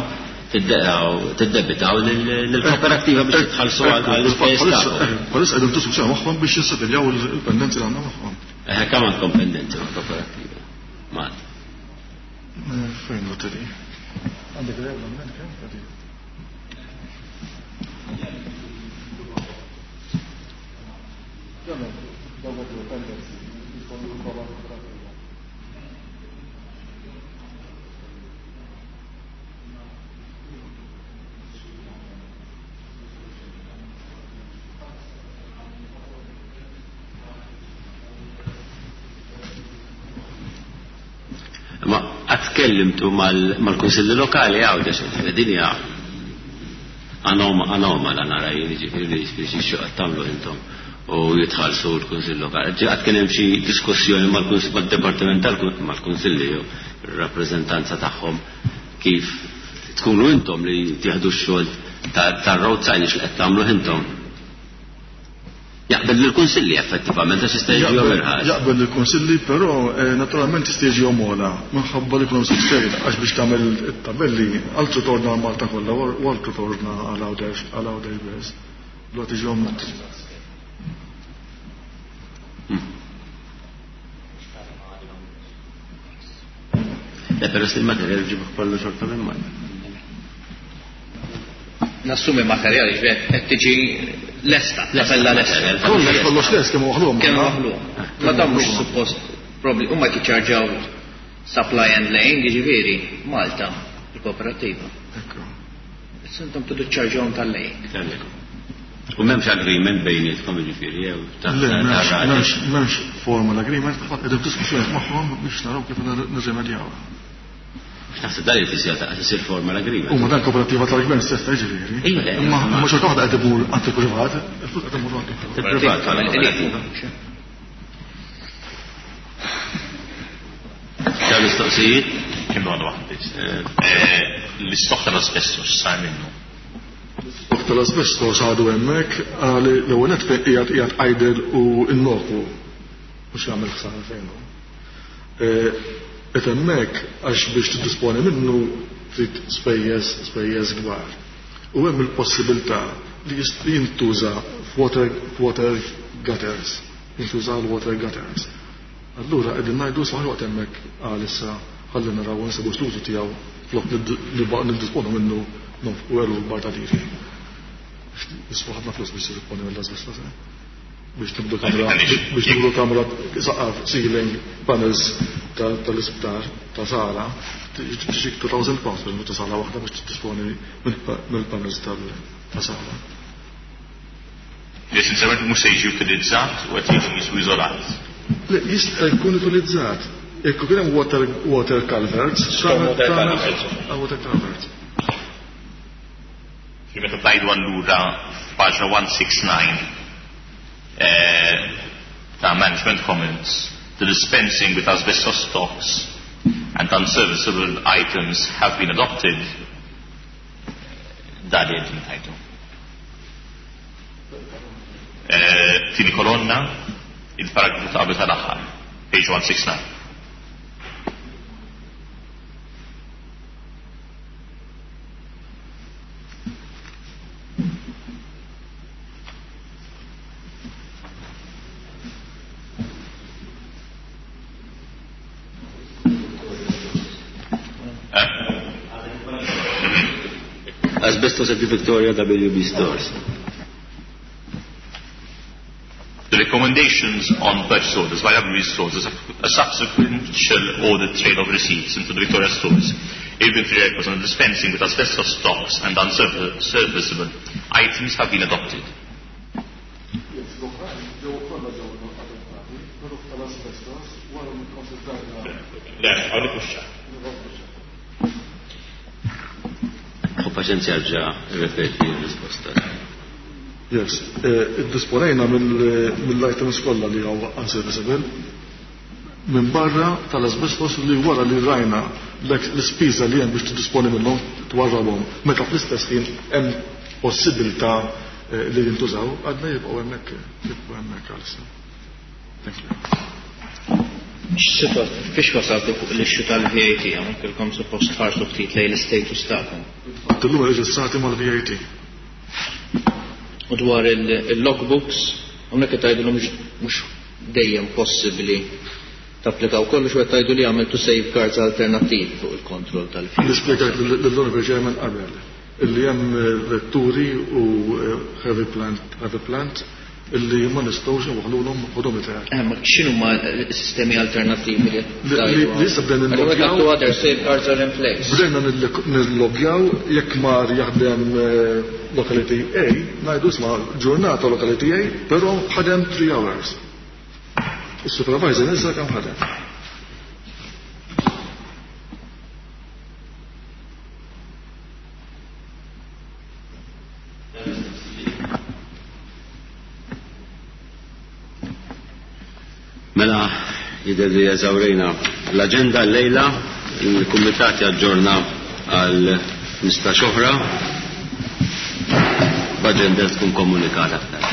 tiddebitaw lill-kooperattiva biex titħallsu għall-ispejjeż tagħkom. Bħalissa qegħdin diskussjoni magħhom biex jissetiljaw il-pendenzi li għandna magħhom. Kemm għandkom pendenzi mal-kooperattiva? Malta. Fejn noteri? Għandek regolament kemm qegħdin? Ma qatt tkellimtu mal-kunsilli lokali Għawdex, din hija anomala nara jien, jiġifieri xi qed tagħmlu intom u jitħallsu l-kunsill lokali. Qatt kien hemm xi diskussjoni mal-dipartiment mal-kunsilli jew ir-rappreżentanza tagħhom kif tkunu intom li tieħdu x-xogħol tar-road signage li qed tagħmlu intom. Jaqbel lill-kunsilli effettivament għax jista' jiġihom irħas. Jaqbel lill-kunsilli, però naturalment jista' jiġihom ogħla minħabba li jkun hemm subscale għax biex tagħmel it-tabelli altru torna għal Malta kollha u altru torna għal Għawdex għal Għawdex biss. Allura tiġihom Le, però se il-materjal ġibuh kollu xorta minn Malta. Nassumi materjali ġbet qed tiġi lesta, tabella lesta. Kollox kollox lest kemm waħluhom. Kemm waħluhom. Ma dan mhux suppost probli huma jiċċarġaw supply and laying, jiġifieri Malta, il-kooperattiva. Ekku. Issa intom tridu ċċarġawhom tal-laying. U m'hemmx agreement bejnietkom jiġifieri jew ta' Le, m'hemmx formal agreement, qegħdin f'diskussjoni magħhom biex naraw kif nirrimedjawha. Naħseb dan li tisir ta' tisir formal agreement. Huma dan kooperativa tal-gvern stess ta' jiġifieri. Iva, le, Imma imma xorta waħda qed imur għand il-privat, il-flus qed imur għand il-privat. Il-privat, Kooperativa. Dawn mistoqsijiet? Kemm għandu waħda biss. L-istok tal-asbestos x'sar minnu? L-istok tal-asbestos għadu hemmhekk għal l-ewwel nett fejn qiegħed idle u innoku mhux jagħmel ħsara fejn hu. Qed hemmhekk għax biex tiddisponi minnu trid spejjeż kbar. U hemm il-possibilità li jintuża f'water gutters, jintuża għal water gutters. Allura qegħdin ngħidu saħ waqt hemmhekk għalissa ħalli naraw nsibu l-użu tiegħu flok niddisponu minnu nonfqu eluf kbar ta' liri. Jiswa ħafna flus biex tiddisponi mill-asbestos, eh? Biex tibdu kamra, biex tibdu kamra saqaf, ceiling, panels tal-isptar, ta' sala, tiġik 2,000 pounds biex ta' sala waħda biex tiddisponi mill-panels ta' sala. Li sincerament mhux se jiġi utilizzat u qed jiġi jisu iżolat. Le, jista' jkun utilizzat. Jekk ikun hemm water culverts, Storm water culverts. Water culverts. Fi meta tajdu allura f'paġna 169 ta' management comments, the dispensing with asbestos stocks and unserviceable items have been adopted. Dan li qed tajdu. Tieni kolonna, il-paragrafu ta' qabel tal-aħħar, page 169. Asbestos at the Victoria WB stores. The recommendations on purchase orders by WB stores is a subsequent audit trail of receipts into the Victoria stores, inventory records on dispensing with asbestos stocks and unserviceable items have been adopted. Yes, l-oħrajn ġew kollha ġew adottati, però tal-asbestos wara li kkonsidrajna. Le, hawnhekk mhux ċar. U paċenzja ġa ripeti r-risposta. Yes, iddisponejna mill-items kollha li hawn unserviceable minn barra tal-asbestos li wara li rajna l-ispiża li hemm biex tiddisponi minnhom twarrabhom meta fl-istess ħin hemm possibilità li jintużaw, għadna jibqgħu hemmhekk, jibqgħu hemmhekk għalissa. Thank you. Fiex wasaltu fuq l-issue tal-VAT, hawnhekk ilkom suppost tħarsu ftit lejn l-istatus tagħkom. Illum reġistrati mal-VAT. U dwar il-logbooks, hawnhekk qed tgħidu mhux dejjem possibbli tapplikaw kollox u qed tgħidu li għamiltu safeguards alternattivi fuq il-kontroll tal-fuel. Nispjegajt lill-Honorable Chairman qabel illi hemm vetturi u heavy plant, heavy plant illi ma nistgħux inwaħħlulhom odometer. Eh, ma x'inhuma s-sistemi alternattivi li Li li issa bdejna nillogjaw. Other safeguards are in place. Bdejna nillogjaw jekk mar jaħdem locality A, ngħidu isma' ġurnata locality A, però ħadem 3 hours. Is-supervisor niżel kemm ħadem. Mela, jidher li eżawrejna l-aġenda llejla, il-kumitat jaġġorna għal 15 oħra, b'aġenda tkun komunikata aktar.